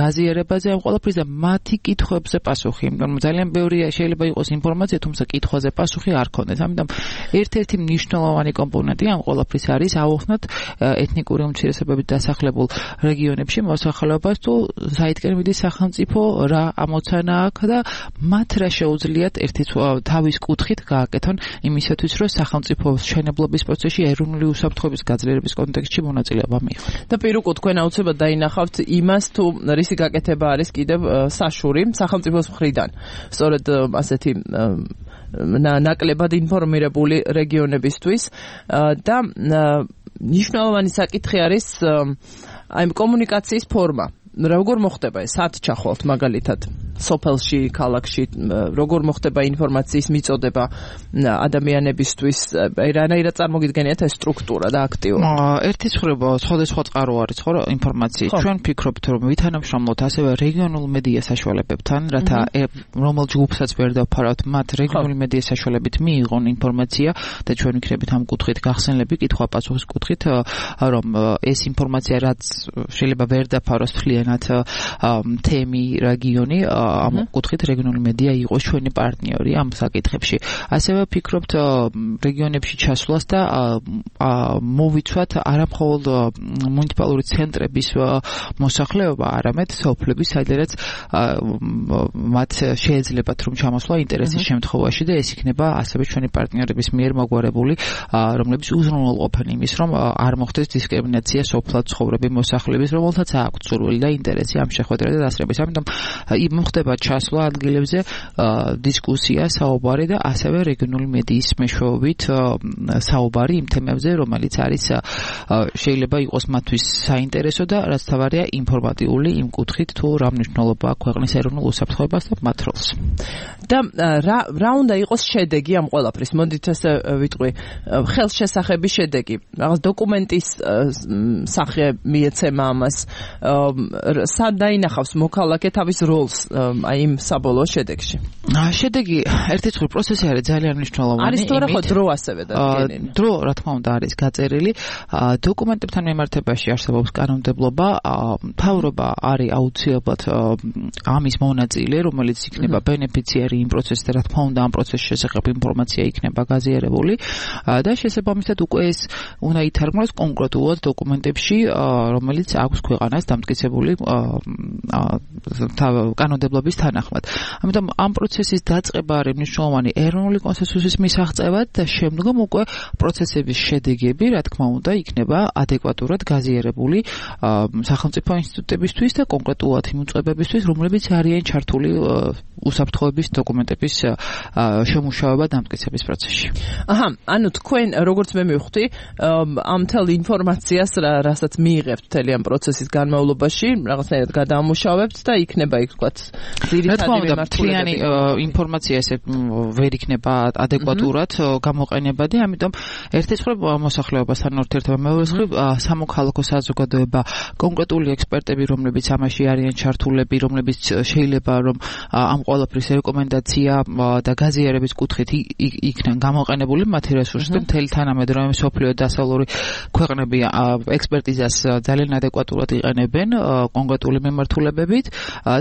Speaker 5: გაზიარებაზე ამ ყველაფრის და მათი კითხვებზე პასუხი. იმიტომ რომ ძალიან ბევრია შეიძლება იყოს ინფორმაცია, თუმცა კითხვაზე პასუხი არ ქონდეს. ამიტომ ერთ-ერთი მნიშვნელოვანი კომპონენტი ამ ყველაფრის არის აუხსნათ ეთნიკური უმცირესობებით დასახლებულ რეგიონებში მოსახლეობას თუ საითკენ მიდის სახელმწიფო, რა ამოცანა აქვს და მათ რა შეუძლიათ ერთი თავის კუთხით გააკეთონ იმისათვის, რომ სახელმწიფოს მშენებლობის პროცესში ეროვნული უსაფრთხოების გაძლიერების კონტექსტში მონაწილეობა მიიღონ.
Speaker 3: და პირუკოთ თქვენ აუცილებლად დაინახავთ იმას, თუ რისი გაკეთება არის კიდევ საშური სახელმწიფოს მხრიდან. სწორედ ასეთი ნაკლებად ინფორმირებული რეგიონებისთვის და მნიშვნელოვანი საკითხი არის აი კომუნიკაციის ფორმა. როგორ მოხდება ეს სათჩახვალთ მაგალითად სოფელში, ქალაქში, როგორ მოხდება ინფორმაციის მიწოდება ადამიანებისთვის, რანაირად წარმოგიდგენიათ ეს სტრუქტურა და აქტიობა?
Speaker 5: ერთის მხრივ სხვადასხვა წყარო არის ხო ინფორმაციის. ჩვენ ფიქრობთ რომ ვითანამშრომლოთ ასევე რეგიონულ მედია საშუალებებთან, რათა რომელ ჯგუფსაც ვერ დავფარავთ, მათ რეგიონული მედია საშუალებით მიიღონ ინფორმაცია და ჩვენ ვიქნებით ამ კუთხით გახსენლები, კითხვა-პასუხის კუთხით, რომ ეს ინფორმაცია რაც შეიძლება ვერ დაფაროს თლიანად თემი, რეგიონი, ამ კუთხით რეგიონული მედია იყოს ჩვენი პარტნიორი ამ საკითხებში. ასევე ვფიქრობთ რეგიონებში ჩასვლას და მოვიცვათ არა მხოლოდ მუნიციპალური ცენტრების მოსახლეობა, არამედ სოფლების, სადაც მათ შეეძლებათ რომ ჩამოსვლა ინტერესის შემთხვევაში და ეს იქნება ასევე ჩვენი პარტნიორების მიერ მოგვარებული, რომლებიც უზრუნველყოფენ იმის, რომ არ მოხდეს დისკრიმინაცია სოფლად ცხოვრები მოსახლეების, რომელთაც აქვთ სურვილი და ინტერესი ამ შეხვედრა და დასწრების. ამიტომ მოხდება ჩასვლა ადგილებზე, დისკუსია, საუბარი და ასევე რეგიონული მედიის მეშვეობით საუბარი იმ თემებზე, რომელიც არის შეიძლება იყოს მათთვის საინტერესო და რაც თავარია ინფორმატიული იმ კუთხით, თუ რა მნიშვნელობა აქვს ქვეყნის ეროვნულ უსაფრთხოებას და მათ როლს.
Speaker 3: და რა უნდა იყოს შედეგი ამ ყველაფრის? მოდით ესე ვიტყვი, ხელშესახების შედეგი. რაღაც დოკუმენტის სახე მიეცემა ამას. სად დაინახავს მოქალაქე თავის როლს აი იმ საბოლოო შედეგში?
Speaker 5: შედეგი ერთის მხრივ პროცესი არის ძალიან მნიშვნელოვანი.
Speaker 3: არის თუ არა ხო დრო ასევე დადგენილი?
Speaker 5: დრო რა თქმა უნდა არის გაწერილი. დოკუმენტებთან მიმართებაში არსებობს კანონმდებლობა, მთავრობა არის აუცილებლად ამის მონაწილე, რომელიც იქნება ბენეფიციარი იმ პროცესში და რა თქმა უნდა ამ პროცესის შესახებ ინფორმაცია იქნება გაზიარებული და შესაბამისად უკვე ეს უნდა ითარგმნოს კონკრეტულად დოკუმენტებში, რომელიც აქვს ქვეყანას დამტკიცებული კანონმდებლობის თანახმად. ამიტომ ამ პროცესის დაწყება არის მნიშვნელოვანი ეროვნული კონსენსუსის მისაღწევად და შემდგომ უკვე პროცესების შედეგები, რა თქმა უნდა, იქნება ადეკვატურად გაზიარებული სახელმწიფო ინსტიტუტებისთვის და კონკრეტულად იმ უწყებებისთვის, რომლებიც არიან ჩართული უსაფრთხოების დოკუმენტების შემუშავება დამტკიცების პროცესში.
Speaker 3: ანუ თქვენ როგორც მე მივხვდი, ამ მთელ ინფორმაციას, რასაც მიიღებთ მთელი ამ პროცესის განმავლობაში, რაღაცნაირად გადაამუშავებთ და იქნება იქ ვთქვათ ძირითადი
Speaker 5: მემართულებები. ინფორმაცია ესე ვერ იქნება ადეკვატურად გამოყენებადი, ამიტომ ერთი მხრივ მოსახლეობასთან ურთიერთობა, მეორე მხრივ სამოქალაქო საზოგადოება, კონკრეტული ექსპერტები, რომლებიც ამაში არიან ჩართულები, რომლებიც შეიძლება რომ ამ ყველაფრის რეკომენდაცია და გაზიარების კუთხით იქნან გამოყენებული მათი რესურსები, მთელი თანამედროვე მსოფლიო დასავლური ქვეყნები ექსპერტიზას ძალიან ადეკვატურად იყენებენ კონკრეტული მემართულებებით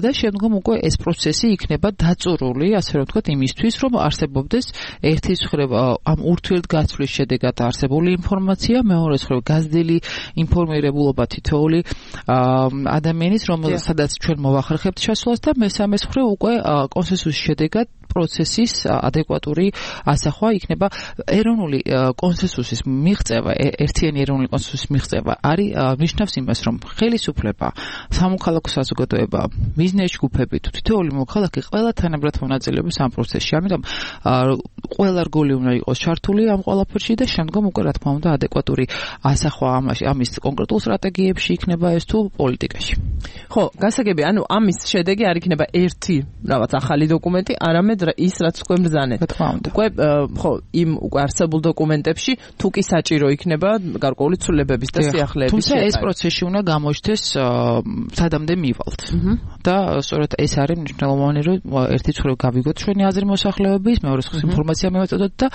Speaker 5: და შემდგომ უკვე ეს პროცესი იქნება დაწურული, ასე რომ ვთქვათ, იმისთვის, რომ არსებობდეს ერთის მხრივ ამ ურთიერთგაცვლის შედეგად არსებული ინფორმაცია, მეორეს მხრივ გაზრდილი ინფორმირებულობა თითოეული ადამიანის, რომელსაც ჩვენ მოვახერხებთ შესვლას და მესამეს მხრივ უკვე კონსენსუსის შედეგად პროცესის ადეკვატური ასახვა იქნება ეროვნული კონსენსუსის მიღწევა, ერთიანი ეროვნული კონსენსუსის მიღწევა არის ნიშნავს იმას, რომ ხელისუფლება, სამოქალაქო საზოგადოება, ბიზნეს ჯგუფები, თითოეული მოქალაქე ყველა თანაბრად მონაწილეობს ამ პროცესში. ამიტომ ყველა რგოლი უნდა იყოს ჩართული ამ ყველაფერში და შემდგომ უკვე რა თქმა უნდა ადეკვატური ასახვა ამის კონკრეტულ სტრატეგიებში იქნება ეს თუ პოლიტიკაში.
Speaker 3: ხო, გასაგები, ანუ ამის შედეგი არ იქნება ერთი რაღაც ახალი დოკუმენტი, არამედ ის რაც უკვე მბრძანეთ. უკვე ხო, იმ უკვე არსებულ დოკუმენტებში თუ კი საჭირო იქნება გარკვეული ცვლილებების და სიახლეების.
Speaker 5: თუმცა ეს პროცესი უნდა გამოჩნდეს სადამდე მივალთ. და სწორედ ეს არის მნიშვნელოვანი, რომ ერთი მხრივ გავიგოთ ჩვენი აზრი მოსახლეობის, მეორე მხრივ ინფორმაცია მივაწოდოთ და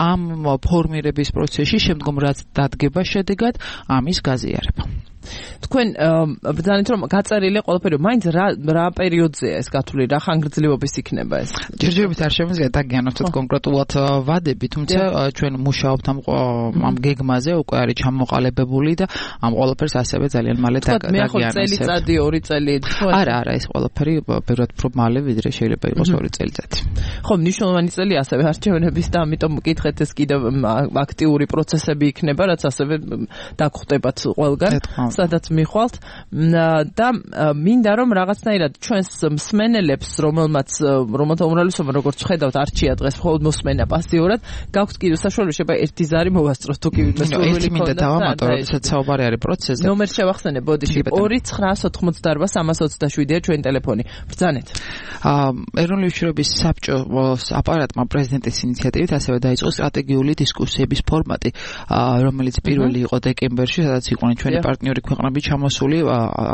Speaker 5: ამ ფორმირების პროცესში შემდგომ რაც დადგება შედეგად ამის გაზიარება.
Speaker 3: თქვენ ბრძანეთ რომ გაწერილი ყველაფერი მაინც რა პერიოდზეა ეს გათვლილი, რა ხანგრძლივობის იქნება ეს?
Speaker 5: ჯერჯერობით არ შემიძლია დაგიანოთ კონკრეტულად ვადები, თუმცა ჩვენ მუშაობთ ამ გეგმაზე, უკვე არის ჩამოყალიბებული და ამ ყველაფერს ასევე ძალიან მალე
Speaker 3: დაგიანებთ. მე ხო წელიწადი, 2 წელი.
Speaker 5: არა, ეს ყველაფერი ბევრად უფრო მალე ვიდრე შეიძლება იყოს 2 წელიწადი.
Speaker 3: ხო, მნიშვნელოვანი წელი ასევე არჩევნების და ამიტომ მკითხეთ ეს კიდევ აქტიური პროცესები იქნება, რაც ასევე დაგხვდებათ ყველგან. სადაც მიხვალთ და მინდა რომ რაღაცნაირად ჩვენს მსმენელებს, რომელთა უმრავლესობა როგორც ხედავთ არჩია დღეს მხოლოდ მოსმენა პასიურად, გაქვთ კიდევ საშუალება შეიძლება ერთი ზარი მოვასწროთ თუ კი
Speaker 5: ერთი მინდა დავამატო, როდესაც საუბარი არის პროცესზე.
Speaker 3: ნომერ შევახსენე, ბოდიში 2988-27-ია ჩვენი ტელეფონი. ბრძანეთ.
Speaker 5: ეროვნული უშიშროების საბჭოს აპარატმა პრეზიდენტის ინიციატივით ასევე დაიწყო სტრატეგიული დისკუსიების ფორმატი, რომელიც პირველი იყო დეკემბერში, სადაც იყვნენ ჩვენი პარტნიორი ქვეყნები ჩამოსული,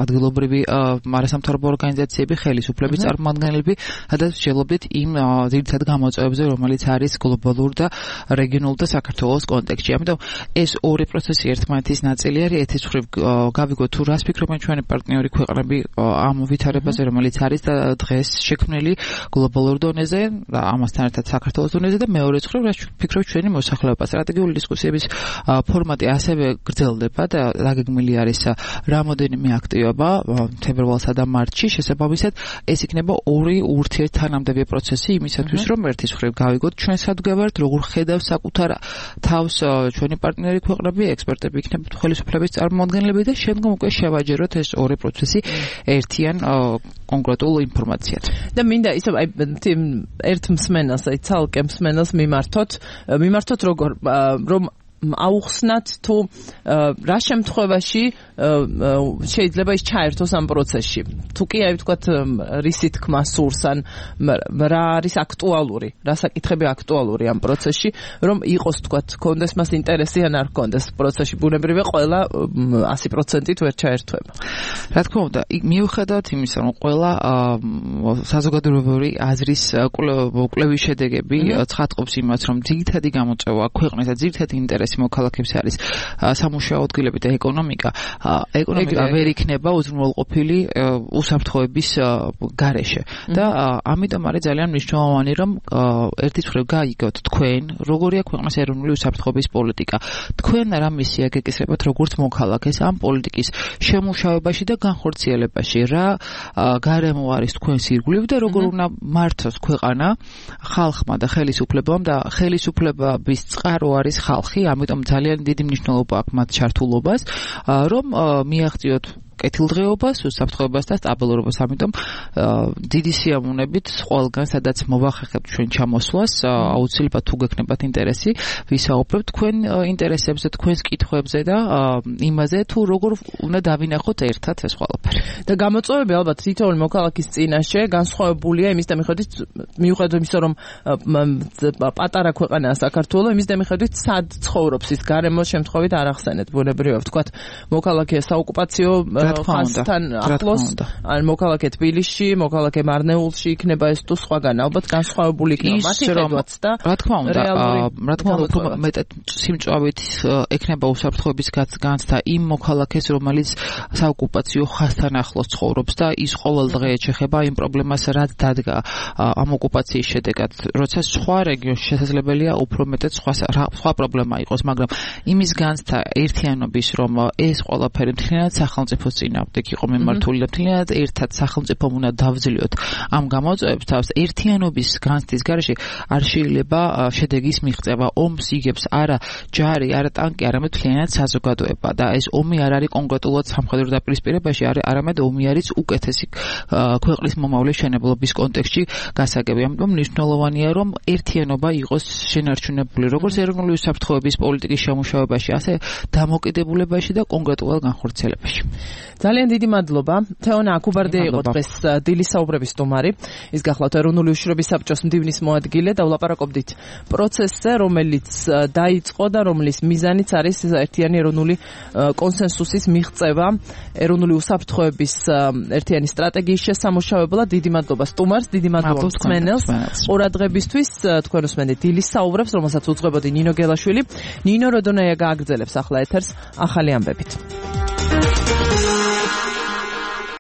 Speaker 5: ადგილობრივი არასამთავრობო ორგანიზაციები, ხელისუფლების წარმომადგენლები, სადაც ვშელობდით იმ ძირითად გამოწვევებზე, რომელიც არის გლობალურ და რეგიონულ და საქართველოს კონტექსტში. ამიტომ ეს ორი პროცესი ერთმანეთის ნაწილი არის. ერთის მხრივ გავიგოთ თუ რას ფიქრობენ ჩვენი პარტნიორი ქვეყნები ამ ვითარებაზე, რომელიც არის და დღეს შექმნილი გლობალურ დონეზე, ამასთან ერთად საქართველოს დონეზე და მეორეც მხრივ რას ფიქრობთ ჩვენი მოსახლეობა. სტრატეგიული დისკუსიების ფორმატი ასევე გრძელდება და დაგეგმილი არის რამოდენიმე აქტივობა თებერვალსა და მარტში. შესაბამისად, ეს იქნება ორი ურთიერთთანამდებობი პროცესი იმისათვის, რომ ერთის მხრივ გავიგოთ ჩვენ სად გვევართ, როგორ ხედავს საკუთარ თავს ჩვენი პარტნიორი ქვეყნები, ექსპერტები იქნება ხელისუფლების წარმომადგენლები და შემდგომ უკვე შევაჯეროთ ეს ორი პროცესი ერთიან კონკრეტულ ინფორმაციად.
Speaker 3: და მინდა ისე ერთ მსმენელს, ცალკე მსმენელს მიმართოთ როგორ რომ აუხსნათ თუ რა შემთხვევაში შეიძლება ის ჩაერთოს ამ პროცესში. თუ კი აი ვთქვათ რისი თქმა სურს ან რა არის აქტუალური, რა საკითხები აქტუალური ამ პროცესში, რომ იყოს ვთქვათ კონდეს მას ინტერესი ან არ კონდეს პროცესში. ბუნებრივია ყველა 100%-ით ვერ ჩაერთვება.
Speaker 5: რა თქმა უნდა, მიუხედავად იმისა, რომ ყველა საზოგადოებრივი აზრის კვლევის შედეგები ცხადყოფს იმას, რომ ძირითადი გამოწვევა ქვეყნის და ძირითადი ინტერესი მოქალაქეებს არის სამუშაო ადგილები და ეკონომიკა ვერ იქნება უზრუნველყოფილი უსაფრთხოების გარეშე და ამიტომ არის ძალიან მნიშვნელოვანი რომ ერთის მხრივ გაიგოთ თქვენ როგორია ქვეყნის ეროვნული უსაფრთხოების პოლიტიკა, თქვენ რა მისია გეკისრებათ როგორც მოქალაქეს ამ პოლიტიკის შემუშავებაში და განხორციელებაში, რა გარემო არის თქვენს ირგვლივ და როგორ უნდა მართოს ქვეყანა ხალხმა და ხელისუფლებამ და ხელისუფლების წყარო არის ხალხი, ამიტომ ძალიან დიდი მნიშვნელობა აქვს მათ ჩართულობას, რომ მიაღწიოთ კეთილდღეობას, უსაფრთხოებას და სტაბილურობას. ამიტომ დიდი სიამოვნებით ყველგან სადაც მოვახერხებთ ჩვენ ჩამოსვლას, აუცილებლად თუ გექნებათ ინტერესი, ვისაუბრებთ თქვენ ინტერესებზე, თქვენს კითხვებზე და იმაზე თუ როგორ უნდა დავინახოთ ერთად ეს ყველაფერი.
Speaker 3: და გამოწვევები ალბათ თითოეული მოქალაქის წინაშე განსხვავებულია იმის და მიუხედავად იმისა, რომ პატარა ქვეყანაა საქართველო, იმის და მიუხედავად სად ცხოვრობს ის გარემოს შემთხვევით არ ახსენეთ ბუნებრივია ვთქვათ მოქალაქე საოკუპაციო ხაზთან ახლოს, ან მოქალაქე თბილისში, მოქალაქე მარნეულში იქნება ეს თუ სხვაგან ალბათ განსხვავებული იქნება მათი ხედვაც და
Speaker 5: რა თქმა უნდა მეტად სიმწვავით ექნება უსაფრთხოების განცდა იმ მოქალაქეს, რომელიც საოკუპაციო ხაზთან ახლოს ცხოვრობს და ის ყოველ დღე ეხება იმ პრობლემას, რაც დადგა ამ ოკუპაციის შედეგად, როცა სხვა რეგიონში შესაძლებელია უფრო მეტად სხვა პრობლემა იყოს, მაგრამ იმის განცდა ერთიანობის, რომ ეს ყველაფერი მთლიანად სახელმწიფოს წინააღმდეგ იყო მიმართული და მთლიანად ერთად სახელმწიფომ უნდა დავძლიოთ ამ გამოწვევებს თავს, ერთიანობის განცდის გარეშე არ შეიძლება შედეგის მიღწევა. ომს იგებს არა ჯარი, არა ტანკი, არამედ მთლიანად საზოგადოება და ეს ომი არ არის კონკრეტულად სამხედრო დაპირისპირებაში, არამედ ომი არის უკეთესი ქვეყნის მომავლის მშენებლობის კონტექსტში გასაგები. ამიტომ მნიშვნელოვანია, რომ ერთიანობა იყოს შენარჩუნებული როგორც ეროვნული უსაფრთხოების პოლიტიკის შემუშავებაში, ასე დამოკიდებულებაში და კონკრეტულად განხორციელებაში.
Speaker 3: ძალიან დიდი მადლობა. თეონა აკუბარდია იყო დღეს დილის საუბრების სტუმარი. ის გახლავთ ეროვნული უშიშროების საბჭოს მდივნის მოადგილე და ვლაპარაკობდით პროცესზე, რომელიც დაიწყო და რომლის მიზანიც არის ერთიანი ეროვნული კონსენსუსის მიღწევა ეროვნული უსაფრთხოების ერთიანი სტრატეგიის შესამუშავებლად. დიდი მადლობა სტუმარს, დიდი მადლობა მსმენელს ყურადღებისთვის. თქვენ უსმენთ დილის საუბრებს, რომელსაც უძღვებოდი ნინო გელაშვილი. ნინო როდონაია გააგრძელებს ახლა ეთერს ახალი ამბებით.